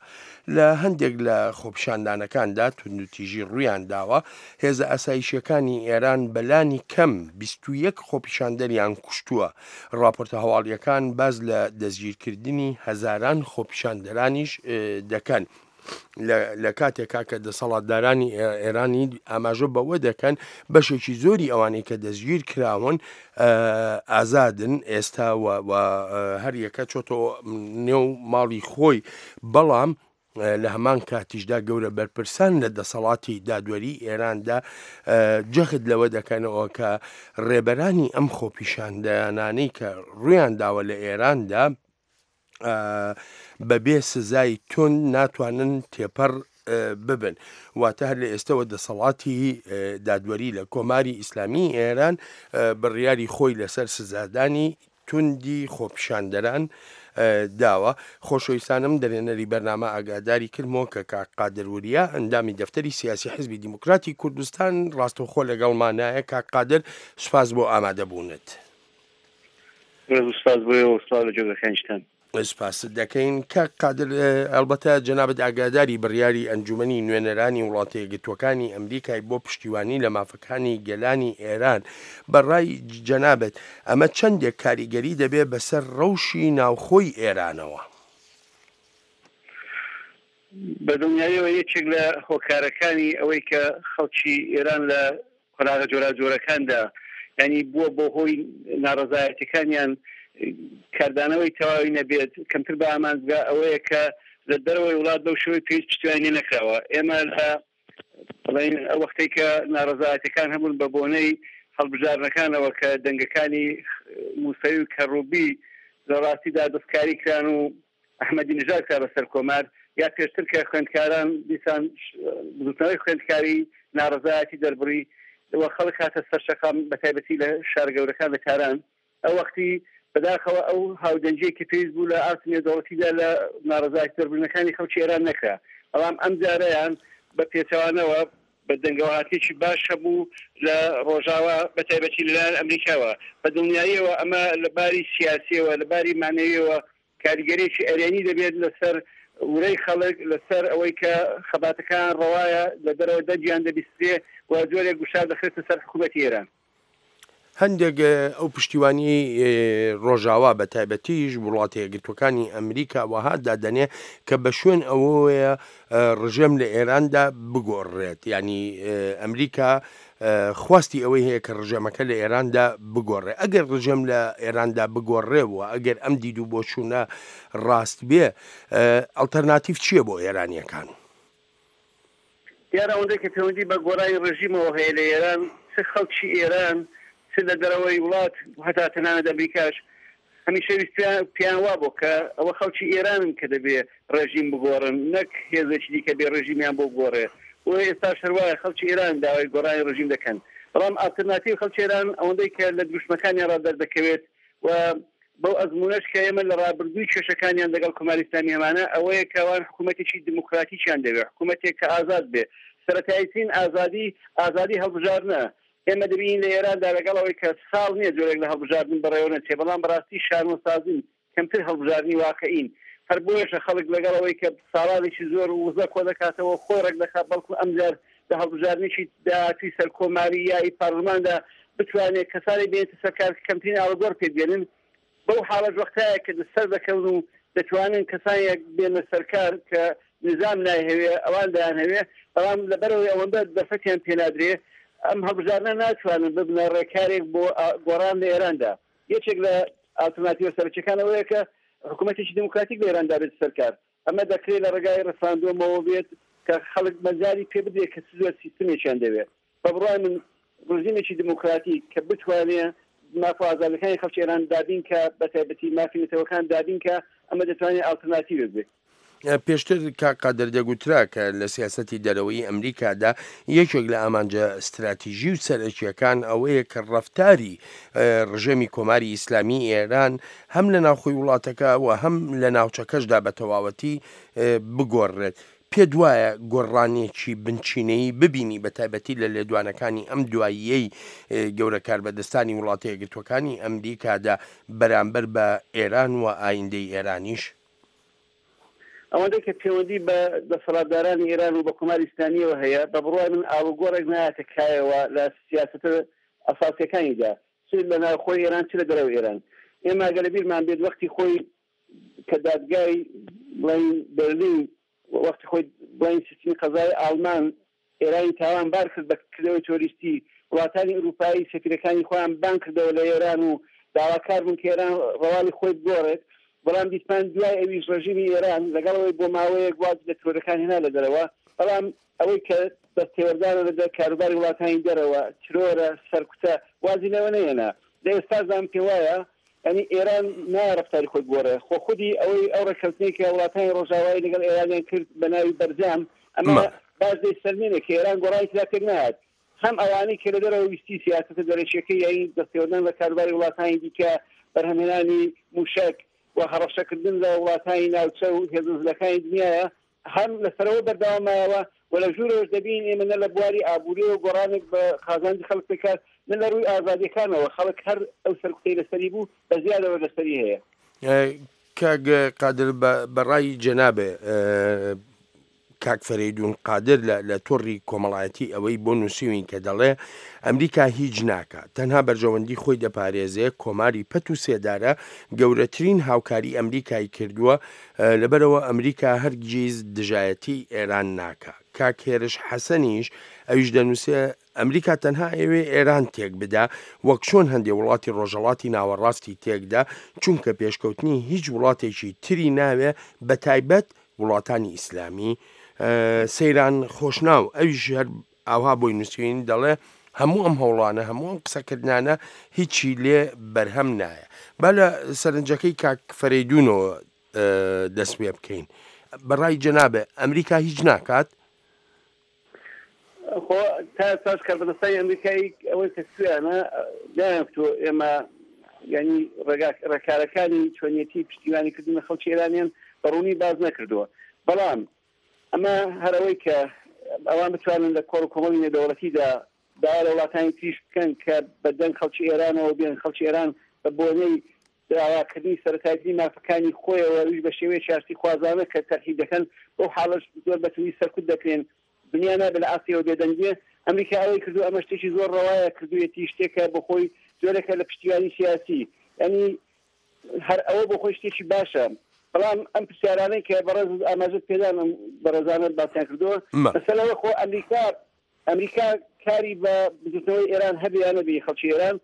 [SPEAKER 13] لە هەندێک لە خۆپیشاندانەکاندا توندوتیژی ڕوویان داوە، هێزە ئاسایشییەکانی ئێران بەلانی کەم 21 خۆپیشاندەریان کوشتووە، ڕاپۆرتە هەواڵییەکان باس لە دەستگیرکردنی هەزاران خۆپیشاندەرانیش دەکەن. لە کاتێکا کە دەسەڵاتدارانی ئێرانی ئاماژە بەوە دەکەن بەشێکی زۆری ئەوانەی کە دەستگیر کراون ئازادن ئێستا و هەر یەکە چۆتەوە نێو ماڵی خۆی بەڵام لە هەمان کاتیشدا گەورە بەرپرسان لە دەسەڵاتی دادوەری ئێراندا جەخت لەوە دەکەنەوە کە ڕێبەرانی ئەم خۆپیشاندانانەی کە ڕویان داوە لە ئێراندا بەبێ سزای توند ناتوانن تێپەڕ ببن واتە هەر لە ئێستەوە دەسەڵاتی دادوەری لە کۆماری ئیسلامی ئێران بڕیاری خۆی لەسەر سزادانی توندی خۆپیشاندەران داوە. خۆشەویستانم دەرێنەری بەرنامە ئاگاداری کردمەوە کە کاک قادر وریا ئەندامی دەفتەری سیاسی حزبی دیموکراتی کوردستان ڕاستەوخۆ لەگەڵمانایە. کاک قادر سوپاس بۆ ئامادەبوونت.
[SPEAKER 14] ڕێز و سپاس بۆ ئێوە و سڵاو لە جۆگەکانیشتان.
[SPEAKER 13] سپاست دەکەین کاک قادر، ئەڵبەتە جەنابت ئاگاداری بڕیاری ئەنجومەنی نوێنەرانی وڵاتە یەکگرتووەکانی ئەمریکای بۆ پشتیوانی لە مافەکانی گەلانی ئێران، بە ڕای جەنابت ئەمە چەندێک کاریگەری دەبێ بەسەر ڕەوشی ناوخۆی ئێرانەوە؟
[SPEAKER 14] بە دڵنیاییەوە یەکێک لە هۆکارەکانی ئەوەی کە خەڵکی ئێران لە قۆناغە جۆراوجۆرەکاندا یانی بووە بۆ هۆی ناڕەزایەتیەکانیان کاردانەوەی تەواوی نەبێت کەمتر بە ئامانج بگا ئەوەیە کە لە دەرەوەی وڵات بەو شێوەی پێویست پشتیوانی لێ نەکراوە ئێمە لە بڵێین ئەو وەختەی کە ناڕەزایەتیەکان هەبوون بە بۆنەی هەڵبژاردنەکانەوە کە دەنگەکانی موسەوی و کەڕوبی لە ڕاستیدا دەستکاری کران و ئەحمەدی نژاد کرا بە سەرکۆمار، یا پێشتر کە خوێندکاران دیسان بزوتنەوەی خوێندکاری ناڕەزایەتی دەربڕی و خەڵک هاتە سەر شەقام بە تایبەتی لە شارە گەورەکان لە تاران ئەو وەختی بەداخەوە ئەو هاودەنگیەی کە پێویست بوو لە ئاستی نێودەوڵەتیدا لە ناڕەزایەتی دەربڕینەکانی خەڵکی ئێران نەکرا بەڵام ئەم جارەیان بە پێچەوانەوە بە دەنگەوەهاتنێکی باش هەبوو لە ڕۆژاوا بە تایبەتی لەلایەن ئەمریکاوە بە دڵنیاییەوە ئەمە لە باری سیاسیەوە لە باری مەعنەویەوە کاریگەریەکی ئەرێنی دەبێت لەسەر ورەی خەڵک، لەسەر ئەوەی کە خەباتەکان ڕەوایە، لە دەرەوە دەنگیان دەبیسترێ و جۆرێک گوشار دەخرێتە سەر حکوومەتی ئێران.
[SPEAKER 13] هەندێک ئەو پشتیوانیەی ڕۆژاوا بە تایبەتیش وڵاتە یەکگرتووەکانی ئەمریکا وەها دادەنێ کە بە شوێن ئەوەیە ڕژێم لە ئێراندا بگۆڕرێت یانی ئەمریکا خواستی ئەوەی هەیە کە ڕژێمەکە لە ئێراندا بگۆڕێ ئەگەر ڕژێم لە ئێراندا بگۆڕێ و ئەگەر ئەم دید و بۆچوونە ڕاست بێ ئەڵتەرناتیڤ چییە بۆ ئێرانییەکان؟
[SPEAKER 14] دیارە ئەوەندەی کە پەیوەندی بە گۆڕانی ڕژیمەوە هەیە لە ئێران، چ خەڵکی ئێران چ لە دەرەوەی وڵات و هەتا تەنانەت ئەمریکاش هەمیشە ویستویان پێیان وابوو کە ئەوە خەڵکی ئێرانن کە دەبێ ڕێژیم بگۆڕن نەک هێزێکی دیکە بێ ڕێژیمیان بۆ بگۆڕێ. بۆیە ئێستاش هەر وایە خەڵکی ئێران داوای گۆڕانی ڕێژیم دەکەن. بەڵام ئالترناتیڤ خەڵکی ئێران ئەوەندەی کە لە دروشمەکانیان ڕا دەردەکەوێت و بەو ئەزموونەش کە ئێمە لە ڕابردووی کێشەکانیان لەگەڵ کۆماری ئیسلامی هەمانە ئەوەیە کە ئەوان حکوومەتێکی دموکراتیکیان دەوێ، حکوومەتێک کە ئازاد بێ. سەرەتاییترین ئازادی، ئازادی هەڵبژاردنە. ئێمە دەبینین لە ئێراندا لەگەڵ ئەوەی کە ساڵ نییە جۆرێک لە هەڵبژاردن بەڕێوە نەچێ، بەڵام بەڕاستی شانۆسازین، کەمتر هەڵبژاردنی واقعین. هەر بۆیەشە خەڵک لەگەڵ ئەوەی کە ساڵانێکی زۆر وزە کۆدەکاتەوە خۆی ڕێکدەخات بەڵکو ئەمجار لە هەڵبژاردنێکی داهاتووی سەرکۆماری یا ئی پارلماندا بتوانێ کەسانێک بێنێتە سەر کار کە کەمترین ئاڵوگۆڕ پێک بێنن. بەو حاڵەش وەختایە کە سەردەکەون و دەتوانن کەسانێک بێنە سەرکار کە نیزام نایهەوێ ئەوان دەیانهەوێ، بەڵام لەبەرئەوەی ئەوەندە دەرفەتیان پێنادرێ ئەم هەڵبژاردنە ناتوانن ببنە ڕێکارێک بۆ گۆڕان لە ئێراندا. یەکێک لە ئالترناتیڤە سەرەکیەکان ئەوەیە کە حکوومەتێکی دێموکراتیک لە ئێراندا بێتە سەر کار. ئەمە دەکرێ لە ڕێگای ڕێفراندۆمەوە بێت کە خەڵک مەجالی پێ بدرێت کە چ جۆر سیستمێکیان دەوێ. بە بڕوای من ڕژیمێکی دێموکراتیک کە بتوانێ ماف و ئازادیەکانی خەڵکی ئێران دابین کا، بە تایبەتی مافی نەتەوەکان دابین کا، ئەمە دەتوانێ ئالترناتیڤێک بێ.
[SPEAKER 13] پێشتر کاک قادر دەگوترا کە لە سیاسەتی دەرەوەیی ئەمریکادا یەکێک لە ئامانجە ستراتیژی و سەرەکییەکان ئەوەیە کە ڕەفتاری ڕژێمی کۆماری ئیسلامی ئێران هەم لە ناوخۆی وڵاتەکە و هەم لە ناوچەکەشدا بە تەواوەتی بگۆڕرێت. پێت وایە گۆڕانێکی بنچینەیی ببینی بە تایبەتی لە لێدوانەکانی ئەم دواییەی گەورە کاربەدەستانی وڵاتە یەکگرتووەکانی ئەمریکادا بەرامبەر بە ئێران و ئایندەی ئێرانیش؟
[SPEAKER 14] ئەوەندەی کە پێوەندی بە دەسەڵاتدارانی ئێران و بە کۆماری ئیسلامییەوە هەیە، بە بڕوای من ئاڵوگۆڕێک نایەتە کایەوە لە سیاسەتە ئەساسییەکانیدا، چ لە ناوخۆی ئێران چ لە دەرەوەی ئێران. ئێمە ئەگەر لە بیرمان بێت وەختی خۆی کە دادگای بڵێین بەرلین وەختی خۆی بڵێین سیستمی قەزای ئاڵمان ئێرانی تاوان بار کرد بە کردەوەی تۆریستی، وڵاتانی ئورووپایی سەفیرەکانی خۆیان بانگ کردەوە لە ئێران و داواکار بوون کە ئێران ڕەواڵی خۆی بگۆڕێت، بەڵام دیتمان دوای ئەویش ڕێژیمی ئێران لەگەڵ ئەوەی بۆ ماوەیەک وازی لە ترۆرەکان هێنا لە دەرەوە، بەڵام ئەوەی کە دەستێوەردانە لە کاروباری وڵاتانی دەرەوە، ترۆرە، سەرکوتە، وازی لەوە نەهێنا. لە ئێستاشدا من پێموایە یانی ئێران نایە ڕەفتاری خۆی بگۆڕێ، خۆ خودی ئەوەی ئەو ڕێککەوتنەی کە وڵاتانی ڕۆژاوایی لەگەڵ ئێرانیان کرد بە ناوی بەرجام، ئەمە باش دەیسەلمێنێ کە ئێران گۆڕانی تێدا پێک نایەت. هەم ئەوانەی کە لە دەرەوە ویستی سیاسەتە دەرەکییەکەی یانی دەستێوەردان لە کاروباری وڵاتانی دیکە، بەرهەمهێنانی مووشەک و هەڕەشەکردن لە وڵاتانی ناوچە و هێزە زلەکانی دنیایە، هەم لە سەرەوە بەردەوام مایەوە و لە ژوورەوەش دەبینین ئێمە نە لە بواری ئابوورییەوە گۆڕانێک بە قازانجی خەڵک پێکهات، نە لە ڕووی ئازادییەکانەوە، خەڵک هەر ئەو سەرکوتەی لەسەری بوو، بە زیادەوە لەسەری هەیە.
[SPEAKER 13] کاک قادر بە ڕای جەنابێ کاک فەرەیدوون قادر لە لە تۆڕی کۆمەڵایەتی ئەوەی بۆ نووسیوین کە دەڵێ ئەمریکا هیچ ناکا تەنها بەرژەوەندی خۆی دەپارێزێ کۆماری پەت و سێدارە گەورەترین هاوکاری ئەمریکای کردووە لەبەرئەوە ئەمریکا هەرگیز دژایەتی ئێران ناکا. کاک هێرش حەسەنیش ئەویش دەنووسێ ئەمریکا تەنها ئەیەوێ ئێران تێک بدا وەک چۆن هەندێ وڵاتی ڕۆژهەڵاتی ناوەڕاستی تێکدا چونکە پێشکەوتنی هیچ وڵاتێکی تری ناوێ بەتایبەت وڵاتانی ئیسلامی سەیران خۆشناو ئەویش هەر ئاوها بۆی نووسین دەڵێ هەموو ئەم هەوڵانە هەموو ئەم قسەکردنانە هیچی لێ بەرهەم نایە با لە سەرنجەکەی کاک فەرەیدونەوە دەست پێ بکەین بەڕای جەنابێ ئەمریکا هیچ ناکات؟
[SPEAKER 14] خۆ تا ئێستاش کاربەدەستانی ئەمریکایی ئەوەی کە کوێیانە نایان کوتووە ئێمە یعنی ڕێگا ڕێکارەکانی چۆنیەتی پشتیوانی کردن لە خەڵکی ئێرانیان بە ڕوونی باس نەکردووە بەڵام ئەمە هەر ئەوەی کە ئەوان بتوانن لە کۆڕ و کۆمەڵی نێودەوڵەتیدا داوا لە وڵاتانی تریش بکەن کە بە دەنگ خەڵکی ئێرانەوە بێن، خەڵکی ئێران بە بۆنەی داواکردنی سەرەتایترین مافەکانی خۆیەوە ئەویش بە شێوەیەکی ئاشتیخوازانە کە تەرحی دەکەن، بەو حاڵەش زۆر بە توندی سەرکوت دەکرێن. دنیا نابێ لە ئاستی ئەوە بێدەنگ بێ. ئەمریکا ئەوەی کردووە، ئەمە شتێکی زۆر ڕەوایە کردوویەتی، شتێکە بۆ خۆی جۆرێکە لە پشتیوانی سیاسی. یانی هەر ئەوە بۆ خۆی شتێکی باشە بەڵام ئەم پرسیارانەی کە بەڕێزت ئاماژەت پێدان ئەم بەڕێزانە باسیان کردووە مەسەلە ئەوە خۆ ئەمریکا ئەمریکا کاری بە بزوتنەوەی ئێران هەبێ یا نەبێ خەڵکی ئێران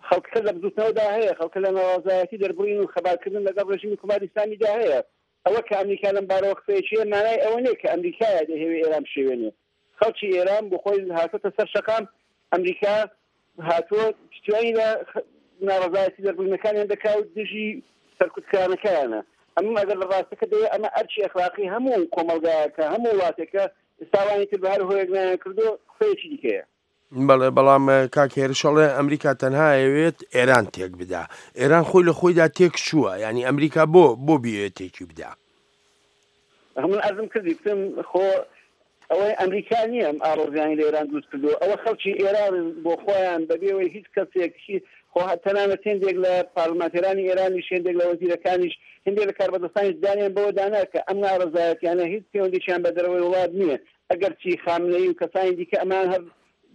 [SPEAKER 14] خەڵکەکە لە بزوتنەوەدا هەیە خەڵکە لە ناڕازایەتی دەربڕین و خەباتکردن لەگەڵ ڕێژیمی کۆماری ئیسلامیدا هەیە ئەوە کە ئەمریکا لەم بارەوە قسەیەکی هەیە مانای ئەوە نییە کە ئەمریکایە دەیهەوێ ئێران بشێوێنێ خەڵکی ئێران بۆ خۆی هاتۆتە سەر شەقام، ئەمریکا هاتووە پشتیوانی لە ناڕەزایەتی دەربڕینەکانیان دەکا و دژی سەرکوتکرانەکەیانە. ئەمە ئەگەر لە ڕاستەکە دەوێ ئەمە ئەرکی ئەخلاقی هەموو کۆمەڵگایەکە، هەموو وڵاتێکە، ئێستا ئەوانی تر بە هەر هۆیەک نایان کردووە قسەیەکی دیکەیە.
[SPEAKER 13] بەڵێ بەڵام کاک هێرش ئەڵێ ئەمریکا تەنها ئەیەوێت ئێران تێک بدا ئێران خۆی لە خۆیدا تێک چووە یعنی ئەمریکا بۆ بۆ بیەوێت تێکی بدا
[SPEAKER 14] من عەرزم کردی کوتم خۆ ئەوەی ئەمریکا نییە ئەم ئاڵۆزیانی لە ئێران دروست کردووە ئەوە خەڵکی ئێرانن بۆ خۆیان بەبێ ئەوەی هیچ کەسێک خۆ تەنانەت هێندێک لە پارلمانتێرانی ئێرانیش هێندێک لە وەزیرەکانیش هێندێک لە کاربەدەستانیش دانیان بەوە دانا کە ئەم ناڕەزایەتیانە هیچ پەیوەندیشیان بە دەرەوەی وڵات نییە ئەگەرچی خامنەیی و کەسانی دیکە ئەمەیان هەر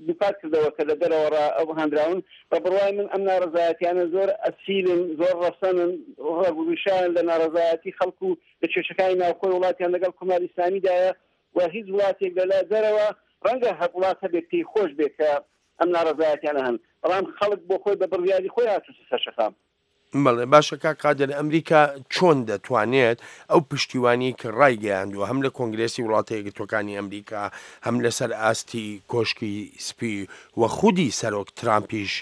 [SPEAKER 14] دووپات کردەوە کە لە دەرەوە ڕا هاندراون، بە بڕوای من ئەم ناڕەزایەتیانە زۆر ئەسیلن، زۆر ڕەسەنن، ڕەگ و ڕیشەیان لە ناڕەزایەتی خەڵک و لە کێشەکانی ناوخۆی وڵاتیان لەگەڵ کۆماری ئیسلامیدایە و هیچ وڵاتێک لە لای دەرەوە ڕەنگە هەر وڵات هەبێت پێی خۆش بێت کە ئەم ناڕەزایەتیانە هەن، بەڵام خەڵک بۆ خۆی بە بڕیاری خۆی هاتووتە سەر شەقام.
[SPEAKER 13] بەڵێ باشە کاک قادر ئەمریکا چۆن دەتوانێت ئەو پشتیوانی کە ڕایگەیاندووە هەم لە کۆنگرێسی وڵاتە یەکگرتووەکانی ئەمریکا هەم لەسەر ئاستی کۆشکی سپی و خودی سەرۆک ترامپیش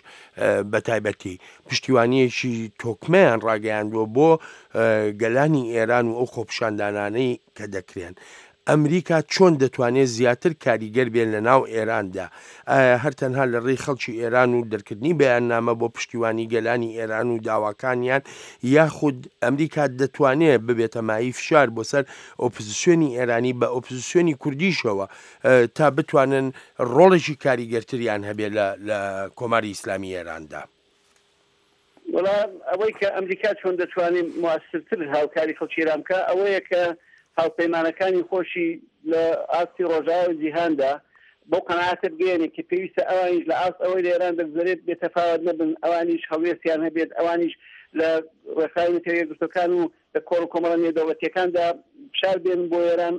[SPEAKER 13] بە تایبەتی پشتیوانیەکی تۆکمەیان ڕاگەیاندووە بۆ گەلانی ئێران و ئەو خۆپیشاندانانەی کە دەکرێن. ئەمریکا چۆن دەتوانێت زیاتر کاریگەر بێت لە ناو ئێراندا؟ ئایا هەر تەنها لە ڕێی خەڵکی ئێران و دەرکردنی بەیاننامە بۆ پشتیوانی گەلانی ئێران و داواکانیان یاخود ئەمریکا دەتوانێت ببێتە مایەی فشار بۆ سەر ئۆپزسیۆنی ئێرانی بە ئۆپزسیۆنی کوردیشەوە تا بتوانن ڕۆڵێکی کاریگەرتریان هەبێت لە لە کۆماری ئیسلامی ئێراندا؟
[SPEAKER 14] وەڵا ئەوەی کە ئەمریکا چۆن دەتوانێ موئەسرتر هاوکاری خەڵکی ئێران بکا ئەوەیە کە هاوپەیمانەکانی خۆشی لە ئاستی ڕۆژاوای جیهاندا بەو قەناعەتە بگەیەنێ کە پێویستە ئەوانیش لە ئاست ئەوەی لە ئێران دەگوزەرێت بێ تەفاوەت نەبن، ئەوانیش هەڵوێستیان هەبێت، ئەوانیش لە ڕێکخراوی نەتەوە یەکگرتووەکان و لە کۆڕ و کۆمەڵە نێودەوڵەتییەکاندا فشار بێنن بۆ ئێران.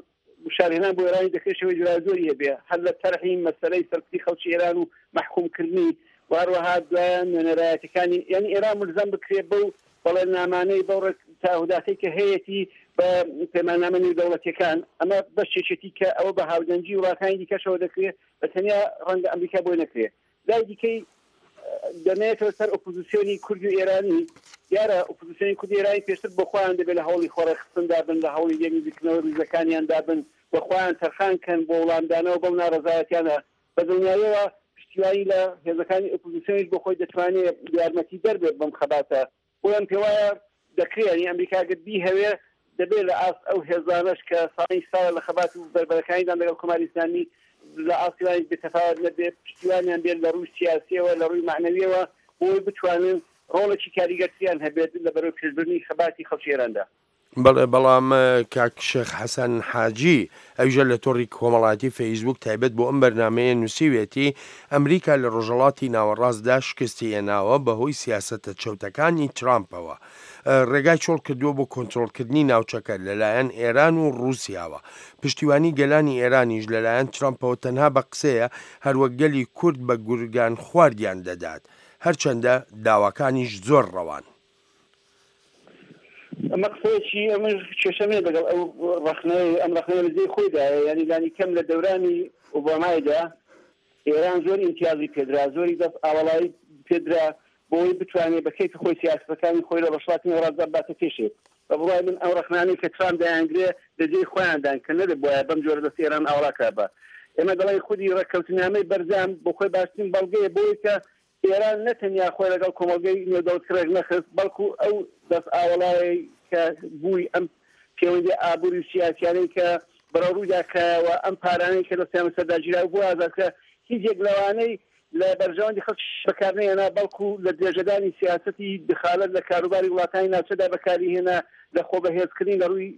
[SPEAKER 14] گوشارهێنان بۆ ئێرانی دەکرێ شێوەی جۆراوجۆری هەبێ، هەر لە تەرحی مەسەلەی سەرکوتی خەڵکی ئێران و مەحکووم کردنی و هەروەها دوایە نوێنەرایەتیەکانی یانی ئێران مولزەم بکرێ بەو بەڵێننامانەی بەو ڕێک تەعەهوداتەی کە هەیەتی بە پەیماننامە نێودەوڵەتیەکان. ئەمە بەشێکێتی کە ئەوە بە هاودەنگی وڵاتانی دیکەشەوە دەکرێ، بە تەنیا ڕەنگە ئەمریکا بۆی نەکرێ. لای دیکەی دەمێتەوە سەر ئۆپۆزیسیۆنی کورد و ئێرانی، دیارە ئۆپۆزیسیۆنی کورد و ئێرانی پێشتر بۆ خۆیان دەبێت لە هەوڵی خۆڕێکخستندا بن، لە هەوڵی لێک نزیککردنەوەی ڕیزەکانیاندا بن و خۆیان تەرخان کەن بۆ وڵامدانەوە بەو ناڕەزایەتیانە. بە دڵنیاییەوە پشتیوانی لە هێزەکانی ئۆپۆزیسیۆنیش بۆ خۆی دەتوانێت یارمەتیدەر بێت بەم خەباتە. بۆیە من پێوایە دەکرێ یانی ئەمریکا گەر بیهەوێ دەبێ لە ئاست ئەو هێزانەش کە ساڵی ساڵە لە خەبات و بەربەرەکانیدان لەگەڵ کۆماری ئیسلامی لە ئاستی وانیش بێ تەفاوەت نەبێ پشتیوانیان بێت لە ڕووی سیاسیەوە لە ڕووی مەعنەویەوە بۆی بتوانن ڕۆڵێکی کاریگەرتریان هەبێت لە بەرەو پێشبردنی خەباتی خەڵکی ئێراندا.
[SPEAKER 13] بەڵێ بەڵام کاک شێخ حەسەن حاجی ئەویشە لە تۆڕی کۆمەڵایەتی فەیسبووک تایبەت بۆ ئەم بەرنامەیە نووسیوێتی، ئەمریکا لە ڕۆژهەڵاتی ناوەڕاستدا شکستی هێناوە بەهۆی سیاسەتە چەوتەکانی ترامپەوە ڕێگای چۆڵ کردووە بۆ کۆنترۆڵکردنی ناوچەکە لەلایەن ئێران و ڕووسیاوە. پشتیوانی گەلانی ئێرانیش لەلایەن ترامپەوە تەنها بە قسەیە هەروەک گەلی کورد بە گورگان خواردیان دەدات هەرچەندە داواکانیش زۆر ڕەوان.
[SPEAKER 14] ئەمە قسەیەکی ئەمن کێشەم نیە لەگەڵ ئەو ڕەخنەیە، ئەم ڕەخنەیە لە جێی خۆیدایە، یانی لانی کەم لە دەورانی ئۆبامایدا ئێران زۆر ئیمتیازی پێدرا، زۆری دەست ئاوەڵایی پێدرا بۆ ئەوەی بتوانێ بە کەیفی خۆی سیاسەتەکانی خۆی لە ڕۆژهەڵاتی نێوەڕاستدا بباتە پێشێ. بە بڕوای من ئەو ڕەخنانەی کە ترامپ دەیانگرێ لە جێی خۆیاندان کە نەدەبوایە بەم جۆرە دەست ئێران ئاوەڵا کرابا. ئێمە دەڵێین خودی ڕێککەوتنامەی بەرجام بۆ خۆی باشترین بەڵگەیە بۆ ئەوەی کە ئێران نە تەنیا خۆی لەگەڵ کۆمەڵگەی نێودەوڵەتی ڕێک نەخست، بەڵکوو ئەو دەست ئاوەڵایەی کە بووی، ئەم پێوەندییە ئابووری و سیاسییانەی کە بەرەوڕوویدا کرایەوە، ئەم پارانەی کە دەستیان بەسەردا گیرا و بۆ ئازاد کرا، هیچ یەک لەوانەی لە بەرژەوەندی خەڵکی بەکار نەهێنا، بەڵکوو لە درێژەدانی سیاسەتی دخالەت لە کاروباری وڵاتانی ناوچەدا بەکاری هێنا، لە خۆبەهێزکردنی لە ڕووی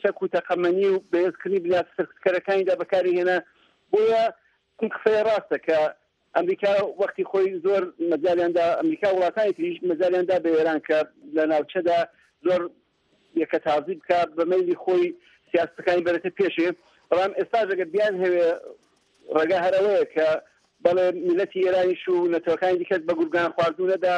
[SPEAKER 14] چەک و تەقەمەنی و بەهێزکردنی بنیاتە سەرکوتکەرەکانیدا بەکاری هێنا. بۆیە ئەم قسەیە ڕاستە کە ئەمریکا وەختی خۆی زۆر مەجالیان دا، ئەمریکا و وڵاتانی تریش مەجالیان دا بە ئێران کە لە ناوچەدا زۆر یەکەتازی بکا، بە مەیلی خۆی سیاسەتەکانی بەرێتە پێشێ. بەڵام ئێستاش ئەگەر بیانهەوێ ڕێگا هەر ئەوەیە کە بەڵێ میللەتی ئێرانیش و نەتەوەکانی دیکەش بە گورگان خواردوو نەدا،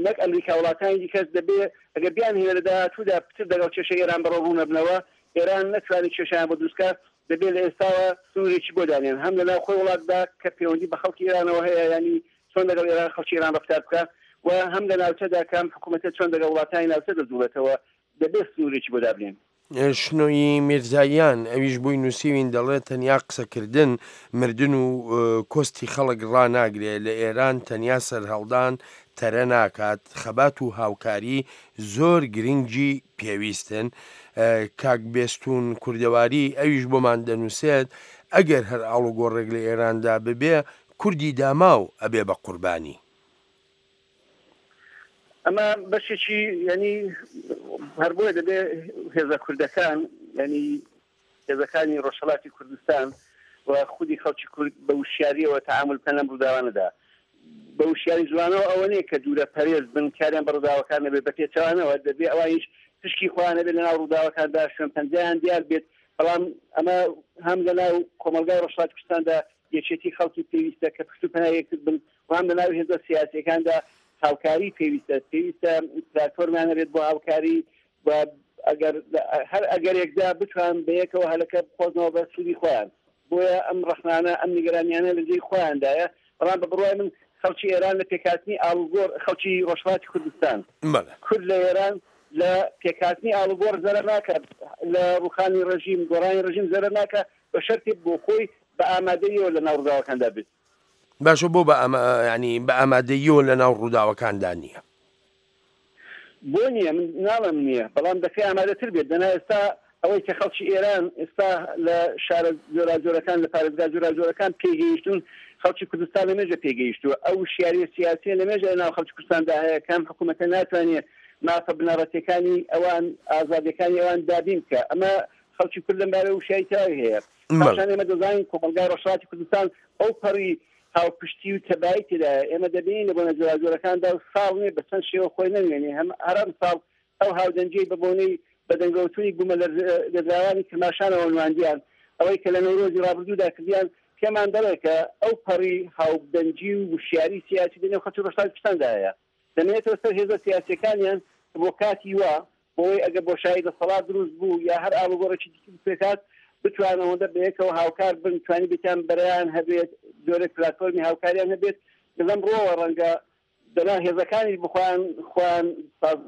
[SPEAKER 14] نەک ئەمریکا وڵاتانی دیکەش دەبێ ئەگەر بیانهەوێ لە داهاتوودا پتر دەگەڵ کێشەی ئێران بەڕەوڕوو نەبنەوە، ئێران نەتوانێ کێشەیان بۆ دروست کا، دەبێ لە ئێستاوە سنوورێکی بۆ دانێن هەم لە ناو خۆی وڵاتدا کە پێوەندی بە خەڵکی ئێرانەوە هەیە یانی چۆن دەگەڵ ئێران خەڵکی ئێران ڕەفتار بکا و هەم لە ناوچەدا کە ئەم حکوومەتە چۆن دەگەڵ وڵاتانی ناوچە دەجووڵێتەوە دەبێ سنوورێکی بۆ دابنێن.
[SPEAKER 13] شنۆیی میرزاییان، ئەویش بۆی نووسیوین دەڵێ تەنیا قسەکردن مردن و کۆستی خەڵک ڕاناگرێ، لە ئێران تەنیا سەرهەڵدان تەرە ناکات، خەبات و هاوکاری زۆر گرنگی پێویستن. کاک بێستوون کوردەواری ئەویش بۆمان دەنووسێت ئەگەر هەر ئاڵوگۆڕێک لە ئێراندا ببێ کوردی داماو ئەبێ بە قوربانی.
[SPEAKER 14] ئەمە بەشێکی یانی هەر بۆیە دەبێ هێزە کوردەکان یانی هێزەکانی ڕۆژهەڵاتی کوردستان و خودی خەڵکی کورد بە وشیاریەوە تەعامول بکەن لەم ڕووداوانەدا. بە وشیاری جوانەوە ئەوە نییە کە دوورە پەرێز بن کاریان بە ڕووداوەکان نەبێت، بە پێچەوانەوە دەبێ ئەوانیش پشکی خۆیان هەبێت لەناو ڕووداوەکاندا، شوێن پەنجەیان دیار بێت. بەڵام ئەمە هەم لەناو کۆمەڵگای ڕۆژهەڵاتی کوردستاندا یەکێتی خەڵکی پێویستە کە پشت و پەنای یەکتر بن و هەم لەناو هێزە سیاسییەکاندا. هاوکاری پێویستە، پێویستە پلاتفۆرمیان هەبێت بۆ هاوکاری و ئەگەر هەر ئەگەرێکدا بتوان بەیەکەوە هەلەکە بقۆزنەوە بە سوودی خۆیان. بۆیە ئەم ڕەخنانە، ئەم نیگەرانیانە لە جێی خۆیاندایە، بەڵام بە بڕوای من خەڵکی ئێران لە پێکهاتنی ئاڵوگۆڕ، خەڵکی ڕۆژهەڵاتی کوردستان، کورد لە ئێران لە پێکهاتنی ئاڵوگۆڕ زەرەر ناکات، لە ڕووخانی ڕێژیم، گۆڕانی ڕێژیم زەرەر ناکات، بە شەرتێک بۆ خۆی بە ئامادەییەوە لە ناو ڕووداوەکاندا بێت.
[SPEAKER 13] باشە بۆ بە ئاما یانی بە ئامادەییەوە لە ناو ڕووداوەکاندا نییە؟
[SPEAKER 14] بۆ نییە؟ من ناڵێم نییە، بەڵام دەکرێ ئامادەتر بێت. دەنا ئێستا ئەوەی کە خەڵکی ئێران ئێستا لە شارە جۆراوجۆرەکان، لە پارێزگا جۆراوجۆرەکان پێی گەیشتوون، خەڵکی کوردستان لەمێژە پێی گەیشتووە. ئەو وشیارییە سیاسییە لەمێژە لە ناو خەڵکی کوردستاندا هەیە کە ئەم حکوومەتە ناتوانێ مافە بنەڕەتییەکانی ئەوان، ئازادییەکانی ئەوان دابین بکا. ئەمە خەڵکی کورد لەم بارەیەوە وشیاری تەواوی هەیە. پاشان ئێمە دەزانین کۆمەڵگای ڕۆژهەڵاتی کوردستان ئەوپەڕی هاوپشتی و تەبایی تێدایە، ئێمە دەبینین لە بۆنە جۆراوجۆرەکاندا و ساڵ نییە بە چەند شێوە خۆی نەنوێنێ، هەم هەر ئەمساڵ ئەو هاودەنگیەی بە بۆنەی بەدەنگەوەچوونی بوومەلەرزەلێدراوانی کرماشانەوە نواندیان، ئەوەی کە لە نەورۆزی ڕابردوودا کردیان، پێمان دەڵێ کە ئەو پەڕی هاودەنگی و وشیاری سیاسی لە نێو خەڵکی ڕۆژهەڵاتی کوردستاندا هەیە. دەمێنێتەوە سەر هێزە سیاسییەکانیان کە بۆ کاتی وا، بۆوەی ئەگەر بۆشایی دەسەڵات دروست بوو یا هەر ئاڵوگۆڕێکی دیکە پێکهات، بتوانن ئەوەندە بەیەکەوە هاوکار بن، توانیبێتیان بەرەیان هەبێت، جۆرێک پلاتفۆرمی هاوکاریان هەبێت، کە لەم ڕووەوە ڕەنگە دەنا هێزەکانیش بخۆیان خۆیان ساز.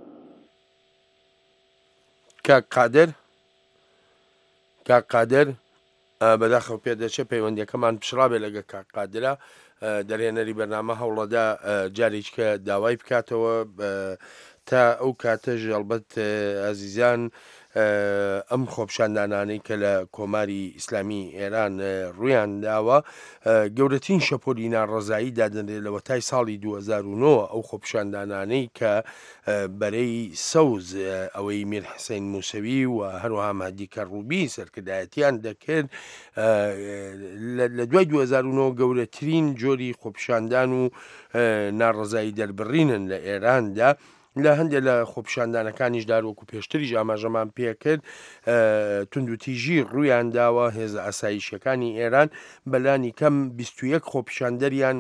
[SPEAKER 13] کاک قادر کاک قادر بەداخەوە پێدەچێت پەیوەندیەکەمان پچڕابێ لەگە کاک قادرا دەرهێنەری بەرنامە هەوڵەدا جارێکە داوای بکاتەوە تا ئەو کاتەش ئەڵبەت ئازیزان ئەم خۆپیشاندانانەی کە لە کۆماری ئیسلامی ئێران ڕوویان داوە گەورەترین شەپۆلی ناڕەزایی دادەنرێت لەوەتای ساڵی 2009 ئەو خۆپیشاندانانەی کە بەرەی سەوز ئەوەی میر حسین موسەوی و هەروەها مەهدی کەڕوبی سەرکردایەتیان دەکرد لە دوای 2009 گەورەترین جۆری خۆپیشاندان و ناڕەزایی دەربڕینن لە ئێراندا لە هەندێک لە خۆپیشاندانەکانیشدا وەکو پێشتریش ئاماژەمان پێکرد توندوتیژی ڕوویان داوە هێزە ئاسایشیەکانی ئێران بەلانی کەم 21 خۆپیشاندەریان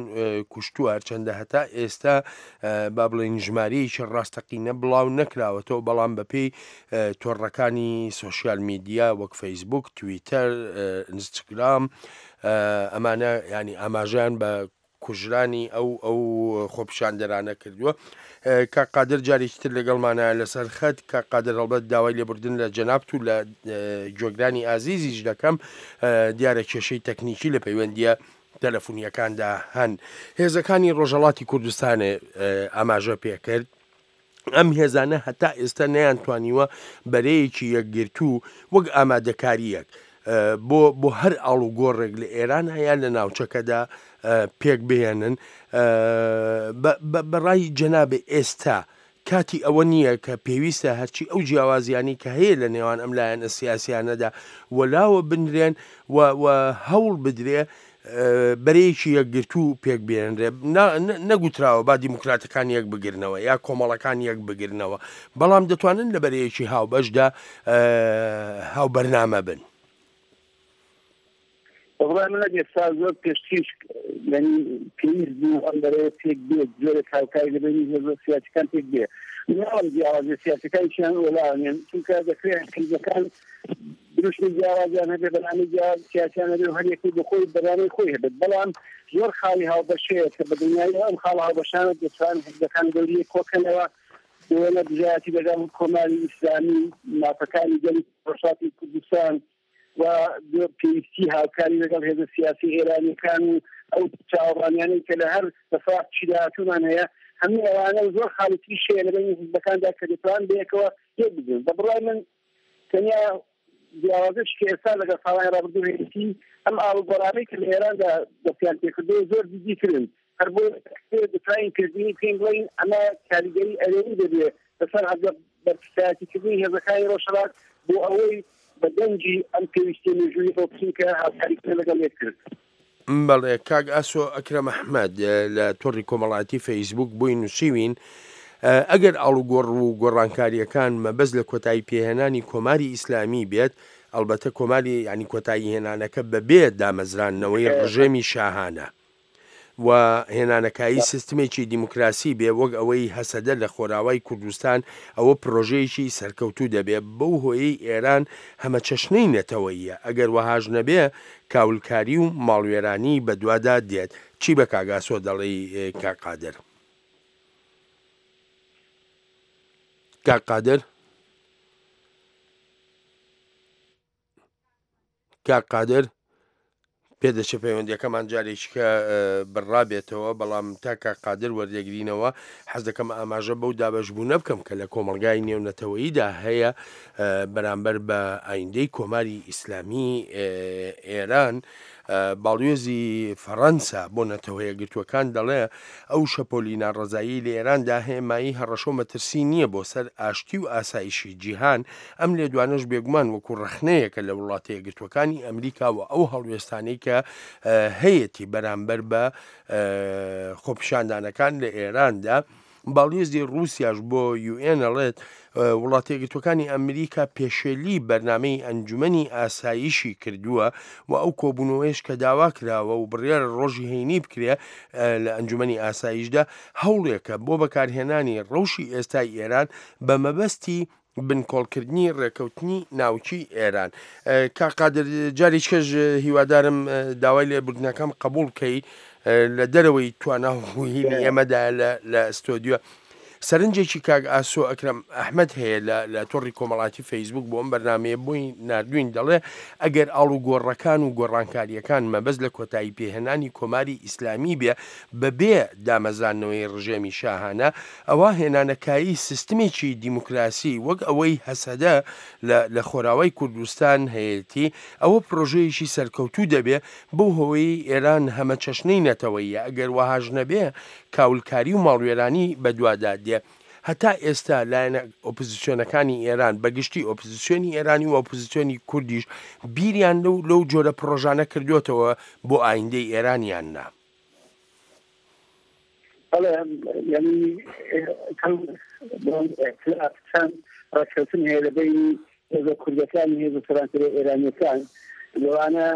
[SPEAKER 13] کوشتووە هەرچەندە هەتا ئێستا با بڵێین ژمارەیەکی ڕاستەقینە بڵاو نەکراوەتەوە بەڵام بەپێی تۆڕەکانی سۆشیال میدیا وەک فەیسبوک تویتەر ئینستاگرام ئەمانە ینی ئاماژیان بە کوژرانی ئەو ئەو خۆپیشاندەرانە کردووە کاک قادر جارێکی تر لەگەڵمانە لەسەر خەت کاک قادر هەڵبەت داوای لێبوردن لە جەنابت و لە گوێگرانی ئازیزیش دەکەم دیارە کێشەی تەکنیکی لە پەیوەندیە تەلەفونیەکاندا هەن هێزەکانی ڕۆژهەڵاتی کوردستانێ ئاماژە پێکرد ئەم هێزانە هەتا ئێستا نەیانتوانیوە بەرەیەکی یەکگرتوو وەک ئامادەکارییەک بۆ بۆ هەر ئاڵوگۆڕێک لە ئێران هەیە لە ناوچەکەدا پێک بهێنن بەڕای جەنابێ ئێستا کاتی ئەوە نییە کە پێویستە هەرچی ئەو جیاوازیانی کە هەیە لە نێوان ئەم لایەنە سیاسیانەدا وەلاوە بنرێن و هەوڵ بدرێ بەرەیەکی یەکگرتوو پێک بێنرێ نەگوتراوە با دیموکراتەکان یەک بگرنەوە یا کۆمەڵەکان یەک بگرنەوە بەڵام دەتوانن لە بەرەیەکی هاوبەشدا هاوبەرنامە بن.
[SPEAKER 14] بەڕای من ئێستا زۆر پێشتریش یعنی پێویست بوو ئەم بەرەیە پێک بێت جۆرێک هاوکاری لە بەینی هێزە سیاسیەکان پێک بێ ناڵم جیاوازی سیاسەکانیان وەلاوێن چونکە دەکرێت حیزبەکان دروشمی جیاوازیان هەبێ بەرنامەی جیاواز سیاسیان هەبێ و هەر یەکەی بۆ خۆی بەرنامەی خۆی هەبێت بەڵام زۆر خاڵی هاوبەش هەیە کە بە دڵنیاییەوە ئەم خاڵە هاوبەشانە دەتوان حیزبەکان دەوری یەک کۆکەنەوە بۆ دژایەتی لەگەڵ کۆماری ئیسلامی مافەکانی گەلی ڕۆژهەڵاتی کوردستان و پێویستی هاوکاری لەگەڵ هێزە سیاسی ئێرانیەکان و ئەو چاوەڕوانیانەی کە لە هەر دەسەڵاتێکی داهاتوومان هەیە هەموو ئەوانە و زۆر خاڵی تریش هەیە لە بەینی حیزبەکاندا کە دەتوان بەیەکەوە یەک بگرن بە بڕوای من تەنیا جیاوازش کە ئێستا لەگەڵ ساڵانی ڕابردوو هەیەتی ئەم ئاڵوگۆڕانەی کە لە ئێراندا دەستیان پێکردووە زۆر جدیترن هەر بۆیە دەتوانین پێشبینی بکەین بڵێین ئەمە کاریگەری ئەرێنی دەبێت لەسەر بەرپرسایەتیکردنی هێزەکانی ڕۆژهەڵات بۆ ئەوەی بە دەنگی ئەم پێویستیە مێژووییەوە بچن کە هاوکاریکردن لەگەڵ یەکتر.
[SPEAKER 13] بەڵێ کاک ئاسۆ ئەکرەم ئەحمەد لە تۆڕی کۆمەڵایەتی فەیسبوک بۆی نووسیوین، ئەگەر ئاڵوگۆڕ و گۆڕانکارییەکان مەبەست لە کۆتایی پێهێنانی کۆماری ئیسلامی بێت، ئەڵبەتە کۆماری یانی کۆتایی هێنانەکە بەبێ دامەزراندنەوەی ڕژێمی شاهانە. و هێنانەکایی سیستمێکی دیموکراسی بێ وەک ئەوەی هەسەدە لە خۆراوای کوردستان ئەوە پرۆژەیەکی سەرکەوتوو دەبێ بەو هۆیەی ئێران هەمەچەشنەی نەتەوەییە ئەگەر وەهاش نەبێ کاولکاری و ماڵوێرانی بەدوادا دێت چی بە کاک ئاسۆ دەڵێی کاک قادر؟ کاک قادر؟ کاک قادر پێدەچێ پەیوەندیەکەمان جارێکیکە بڕابێتەوە بەڵام تا کاک قادر وەردەگرینەوە حەز دەکەم ئاماژە بەو دابەشبوونە بکەم کە لە کۆمەڵگای نێونەتەوەییدا هەیە بەرامبەر بە ئایندەی کۆماری ئیسلامی ئێران باڵیۆزی فەڕەنسا بۆ نەتەوەیەکگرتووەکان دەڵێ، ئەو شەپۆلی ناڕەزاییەی لە ئێراندا هەیە مایەی هەڕەشە و مەترسی نییە بۆ سەر ئاشتی و ئاسایشی جیهان، ئەم لێدوانەش بێگومان وەکو ڕەخنەیەکە لە وڵاتەیەکگرتووەکانی ئەمریکا و ئەو هەڵوێستانەی کە هەیەتی بەرامبەر بە خۆپیشاندانەکان لە ئێراندا. باڵیۆزی ڕووسیاش بۆ یوئێن ئەڵێت، وڵاتەیەکگرتووەکانی ئەمریکا پێشێلی بەرنامەی ئەنجومەنی ئاسایشی کردووە و ئەو کۆبوونەوەیش کە داوا کراوە و بڕیارە ڕۆژی هەینی بکرێ لە ئەنجومەنی ئاسایشدا هەوڵێکە بۆ بەکارهێنانی ڕەوشی ئێستای ئێران بە مەبەستی بنکۆڵکردنی ڕێکەوتنی ناوکی ئێران. کاک قادر جارێکیش هیوادارم داوای لێبوردنەکەم قبوڵ کەی لە دەرەوەی توانا و هینی ئێمەدا لە ستۆدیۆ سەرنجێکی کاک ئاسۆ ئەکرەم ئەحمەد هەیە لە لە تۆڕی کۆمەڵاتی فەیسبوک بۆ ئەم بەرنمەیە بۆی ناردوین دەڵێ ئەگەر ئاڵوگۆڕەکان و گۆڕانکاریەکان مەبەست لە کۆتایی پێهێنانی کۆماری ئیسلامی بێ بەبێ دامەزراندنەوەی ڕژێمی شاهانە، ئەوا هێنانەکایەی سیستمێکی دیموکراسی وەک ئەوەی هەسەدە لە لە خۆراوای کوردستان هەیەتی، ئەوە پرۆژەیەکی سەرکەوتوو دەبێ، بەو هۆیەی ئێران هەمەچەشنەی نەتەوەییە، ئەگەر وەهاش نەبێ کاولکاری و ماڵوێرانی بەدوادا دێ. هەتا ئێستا لایەنە ئۆپزسیۆنەکانی ئێران بە گشتی ئۆپزسیۆنی ئێرانی و ئۆپزسیۆنی کوردیش بیریان لەو لەو جۆرە پڕۆژانە کردووەتەوە بۆ ئایندەی ئێران یان نا؟
[SPEAKER 14] بەڵێ یعنی چەند ڕێککەوتن هەیە لە بەینی هێزە کوردەکان و هێزە سەرانسەریە ئێرانیەکان لەوانە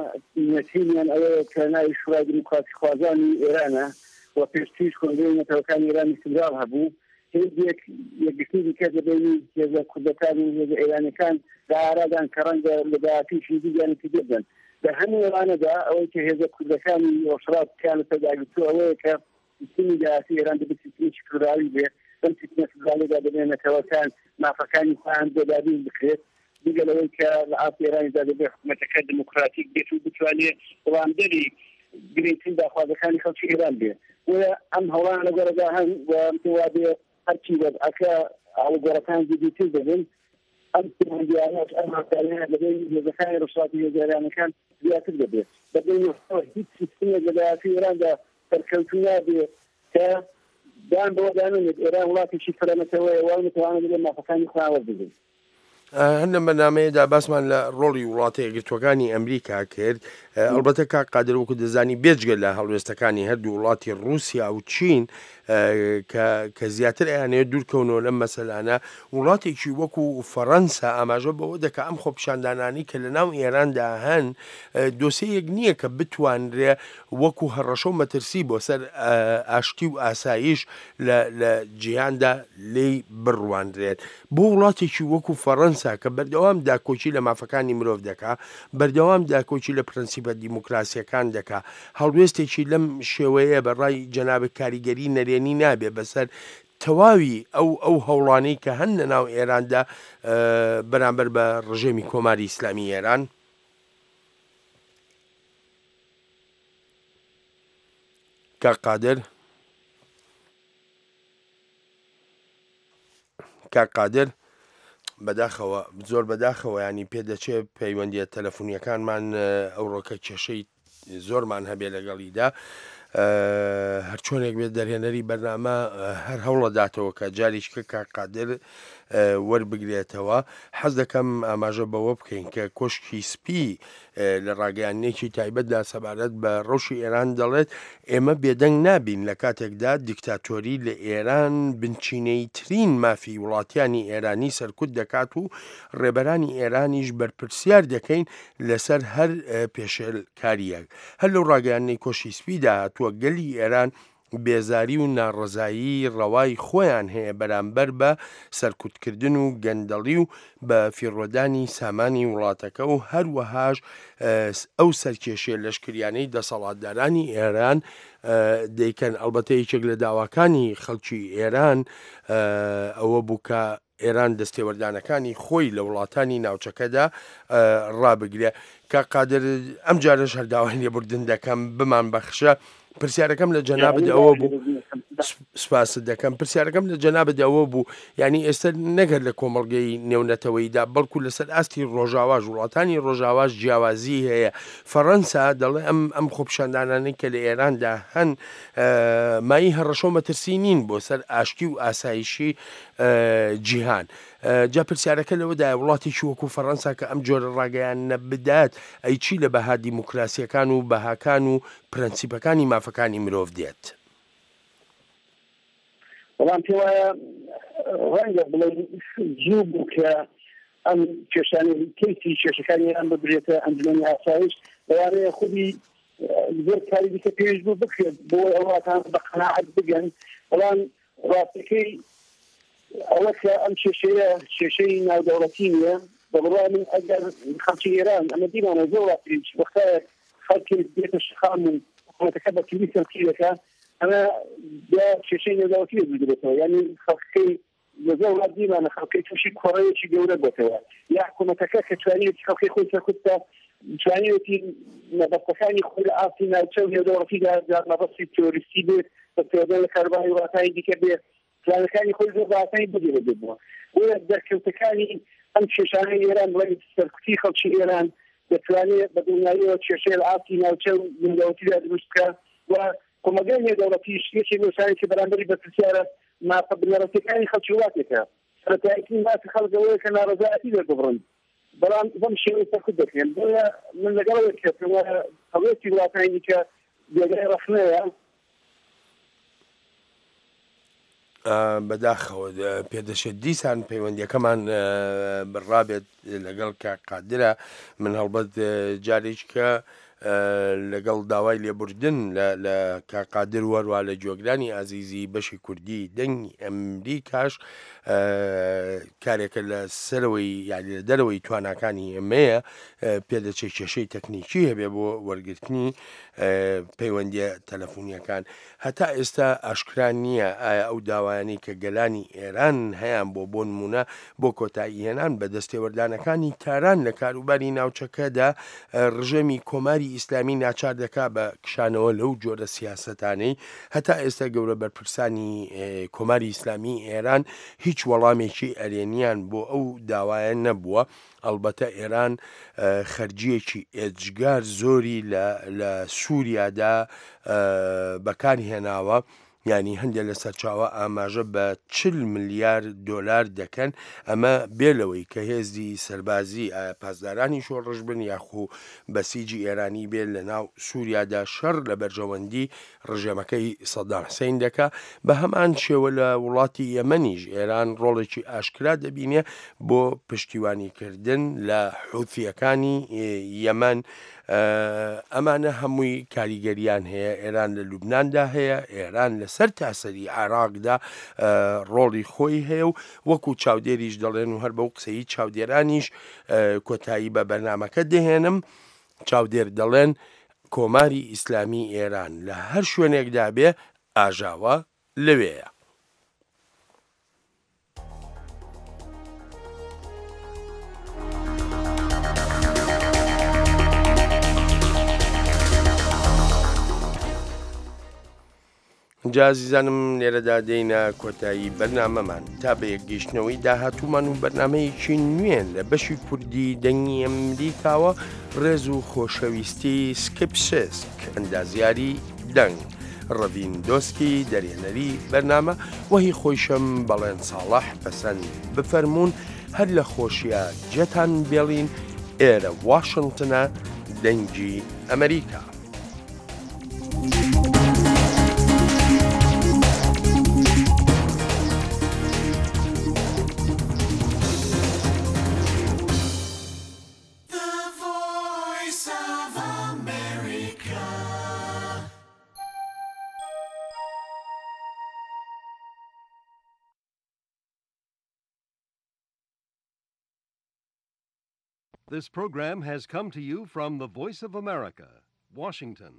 [SPEAKER 14] نوێترینیان ئەوەیە کە ناوی شورای دیموکراسیخوازانی ئێرانە و پێشتریش کۆنگرەی نەتەوەکانی ئێرانی فیدراڵ هەبوو هێزێک یەکگرتنی دیکە لە بەینی هێزە کوردەکان و هێزە ئێرانیەکان لە ئارادان کە ڕەنگە لە داهاتووش نزیکیان نتیجە بدەن لە هەموو ئەوانەدا ئەوەی کە هێزە کوردەکانی ڕۆژهەڵات پێیان لەسەر داگرتووە ئەوەیە کە سیستمی داهاتووی ئێران دەبێت سیستمێکی فیدراڵی بێ، بەم سیستمە فیدراڵیەدا دەبێت نەتەوەکان مافەکانی خۆیان بۆ دابین بکرێت، جگە لەوەی کە لە ئاستی ئێرانیشدا دەبێت حکومەتەکە دیموکراتیک بێت و بتوانێت وڵامدەری گرنگترین داخوازەکانی خەڵکی ئێران بێت. بۆیە ئەم هەوڵانە لەگۆڕێدا هەن و پێم وابێ هەرچی وەزعەکە ئاڵوگۆڕەکان جدیتر دەبن، ئەم پەیوەندییانەش، ئەم هاوکارییانە لە بەینی هێزەکانی ڕۆژهەڵاتی هێزە ئێرانییەکان زیاتر دەبێت. بە دڵنیاییەوە هیچ سیستمێک لە داهاتووی ئێراندا سەرکەوتوو نابێت کە دان بەوەدا نەنێت ئێران وڵاتێکی فرەنەتەوەیە و ئەو نەتەوانە دەبێت مافەکانی خۆیان وەربگرن.
[SPEAKER 13] هەر لەم بەرنامەیەدا باسمان لە ڕۆڵی وڵاتە یەکگرتووەکانی ئەمریکا کرد، ئەڵبەتە کاک قادر وەکو دەزانی بێجگە لە هەڵوێستەکانی هەردوو وڵاتی ڕووسیا و چین کە کە زیاتر ئەیانەوێت دوورکەونەوە لەم مەسەلانە، وڵاتێکی وەکو فەڕەنسا ئاماژە بەوە دەکا ئەم خۆپیشاندانانەی کە لەناو ئێراندا هەن دۆسێیەک نییە کە بتوانرێ وەکو هەڕەشە و مەترسی بۆ سەر ئاشتی و ئاسایش لە لە جیهاندا لێی بڕوانرێت. بۆ وڵاتێکی وەکو فەڕەنسا کە بەردەوام داکۆکی لە مافەکانی مرۆڤ دەکا، بەردەوام داکۆکی لە پرەنسیپە دیموکراسییەکان دەکا، هەڵوێستێکی لەم شێوەیە بە ڕای جەنابت کاریگەری نەرێنی نابێ بەسەر تەواوی ئەو ئەو هەوڵانەی کە هەن لە ناو ئێراندا بەرامبەر بە ڕژێمی کۆماری ئیسلامی ئێران؟ کاک قادر؟ کاک قادر بەداخەوە زۆر بەداخەوە ینی پێدەچێ پەیوەندیە تەلەفۆنیەکانمان ئەوڕۆکە کێشەی زۆرمان هەبێ لەگەڵیدا هەرچۆنێک بێت دەرهێنەری بەرنامە هەر هەوڵەداتەوە کە جاریشکە کاک قادر. وەربگرێتەوە. حەز دەکەم ئاماژە بەوە بکەین کە کۆشکی سپی لە ڕاگەیاندنێکی تایبەتدا سەبارەت بە ڕەوشی ئێران دەڵێت، ئێمە بێدەنگ نابین لە کاتێکدا دیکتاتۆری لە ئێران بنچینەییترین مافی وڵاتیانی ئێرانی سەرکوت دەکات و ڕێبەرانی ئێرانیش بەرپرسیار دەکەین لەسەر هەر پێشێلکارییەک. هەر لەو ڕاگەیاندنەی کۆشکی سپیدا هاتووە، گەلی ئێران بێزاری و ناڕەزایی ڕەوای خۆیان هەیە بەرامبەر بە سەرکوتکردن و گەندەڵی و بە فیڕۆدانی سامانی وڵاتەکە و هەروەهاش ئەو سەرکێشیە لەشکریانەی دەسەڵاتدارانی ئێران دەیکەن ئەڵبەتە یەکێک لە داواکانی خەڵکی ئێران ئەوە بوو کە ئێران دەستێوەردانەکانی خۆی لە وڵاتانی ناوچەکەدا ڕابگرێ. کاک قادر ئەم جارەش هەر داوای لێبوردن دەکەم بمانبەخشە پرسیارەکەم لە جەنابت ئەوە بوو سپاست دەکەم پرسیارەکەم لە جەنابت ئەوە بوو یعنی ئێستا نەگەر لە کۆمەڵگەی نێونەتەوەیدا بەڵکو لەسەر ئاستی ڕۆژاواش وڵاتانی ڕۆژاواش جیاوازی هەیە فەڕەنسا دەڵێ ئەم ئەم خۆپیشاندانانەی کە لە ئێراندا هەن مایی هەڕەشە و مەترسی نین بۆ سەر ئاشتی و ئاسایشی جیهان. جا پرسیارەکە لەوەدایە وڵاتێکی وەکو فەڕەنسا کە ئەم جۆرە ڕاگەیاندنە بدات، ئەی چی لە بەها دیموکراسییەکان و بەهاکان و پرەنسیپەکانی مافەکانی مرۆڤ دێت؟
[SPEAKER 14] بەڵام پێوایە ڕەنگە بڵێین زوو بوو کە ئەم کێشانەی کەیسی کێشەکانی ئێران ببرێتە ئەنجومەنی ئاسایش، لەوانەیە خودی زۆر کاری دیکە پێویست بوو بکرێت بۆ ئەوەی ئەو وڵاتانە بە قەناعەت بگەن، بەڵام ڕاستەکەی ئەوە کە ئەم کێشەیە کێشەی ناودەوڵەتی نییە، بە بڕوای من ئەگەر خەڵکی ئێران ئەمە دیمانە زۆر وڵاتیش وەختایەک خەڵکی دێتە شەقام و حکوومەتەکە بە توندی سەرکوتی دەکا ئەمە بیا کێشەی نێودەوڵەتی لێ دروست دەبێتەوە یانی خەڵکەکەی لە زۆر وڵات دیمانە خەڵکەی تووشی کۆڕەیەکی گەورە بۆتەوە یا حکوومەتەکە کە توانیوێتی خەڵکی خۆی سەرکوت بکا توانیوێتی مەبەستەکانی خۆی لە ئاستی ناوچە و نێودەوڵەتیدا جا مەبەستی تیرۆریستی بێت دەستێوەردان لە کاروباری وڵاتانی دیکە بێ پلانەکانی خۆی زۆر بە ئاسانی بجێبەجێ بووە. بۆیە دەرکەوتەکانی ئەم کێشانەی ئێران بڵێن سەرکوتی خەڵکی ئێران دەتوانێت بە دڵنیاییەوە کێشەی لە ئاستی ناوچە و نێودەوڵەتیدا دروست بکا و کۆمەڵگای نێودەوڵەتیش یەکێک لەو شتانەی کە بەرامبەری بەرپرسیارە مافە بنەڕەتییەکانی خەڵکی وڵاتێکە. سەرەتاییترین مافی خەڵک ئەوەیە کە ناڕەزایەتی دەرببڕن، بەڵام بەم شێوەیە سەرکوت دەکرێن. بۆیە من لەگەڵ ئەوەی کە پێم وایە هەڵوێستی وڵاتانی دیکە جێگای ڕەخنەیە،
[SPEAKER 13] بەداخەوە پێدەچێت دیسان پەیوەندیەکەمان بڕابێت لەگەڵ کاک قادرە من هەڵبەت جارێکە لەگەڵ داوای لێبوردن لە کاک قادر وەروە لە گوێگرانی ئازیزی بەشی کوردی دەنگی ئەمریکاش کارێکە لە سەرەوەی یاری لە دەرەوەی تواناکانی ئێمەیە پێدەچێت کێشەی تەکنیکی هەبێ بۆ وەرگرتنی پەیوەندیە تەلەفونیەکان هەتا ئێستا ئاشکرا نییە ئایا ئەو داوایانەی کە گەلانی ئێران هەیان بۆ بۆ نموونە بۆ کۆتاییهێنان بە دەستێوەردانەکانی تاران لە کاروباری ناوچەکەدا ڕژێمی کۆماری ئیسلامی ناچار دەکا بە کشانەوە لەو جۆرە سیاسەتانەی هەتا ئێستا گەورە بەرپرسانی کۆماری ئیسلامی ئێران هیچ وەڵامێکی ئەرێنیان بۆ ئەو داوایە نەبووە. ئەڵبەتە ئێران خەرجییەکی ئێجگار زۆری لە سووریادا بەکار هێناوە، یانی هەندێک لە سەرچاوە ئاماژە بە چل ملیار دۆلار دەکەن، ئەمە بێ لەوەی کە هێزی سەربازی ئایا پاسدارانی شۆڕش بن یاخو بەسیجی ئێرانی بێ لەناو سووریادا شەڕ لە بەرژەوەندی ڕژێمەکەی سەدام حسین دەکا، بە هەمان شێوە لە وڵاتی یەمەنیش ئێران ڕۆڵێکی ئاشکرا دەبینێ بۆ پشتیوانیکردن لە حوثیەکانی یەمەن، ئەمانە هەمووی کاریگەریان هەیە، ئێران لە لوبناندا هەیە، ئێران لەسەر تاسەری عێراقدا ڕۆڵی خۆی هەیە و وەکو چاودێریش دەڵێن و هەر بەو قسەی چاودێرانیش کۆتایی بە بەرنامەکە دەهێنم، چاودێر دەڵێن کۆماری ئیسلامی ئێران لە هەر شوێنێکدا بێ ئاژاوە لەوێیە. جا ئازیزانم لێرەدا دێینە کۆتایی بەرنامەمان تا بە یەکگەیشتنەوەی داهاتوومان و بەرنمەیەکی نوێ لە بەشی کوردی دەنگی ئەمریکاوە ڕێز و خۆشەویستی سکپسسک ئەندازیاری دەنگ. ڕەڤین دۆسکی دەرهێنەری بەرنامە و هی خۆیشم بەڵێن ساڵح پەسەند بفەرموون هەر لە خۆشیا جێتان بێڵین ئێرە واشنتنە دەنگی ئەمریکا.
[SPEAKER 1] This program has come to you from the Voice of America, Washington.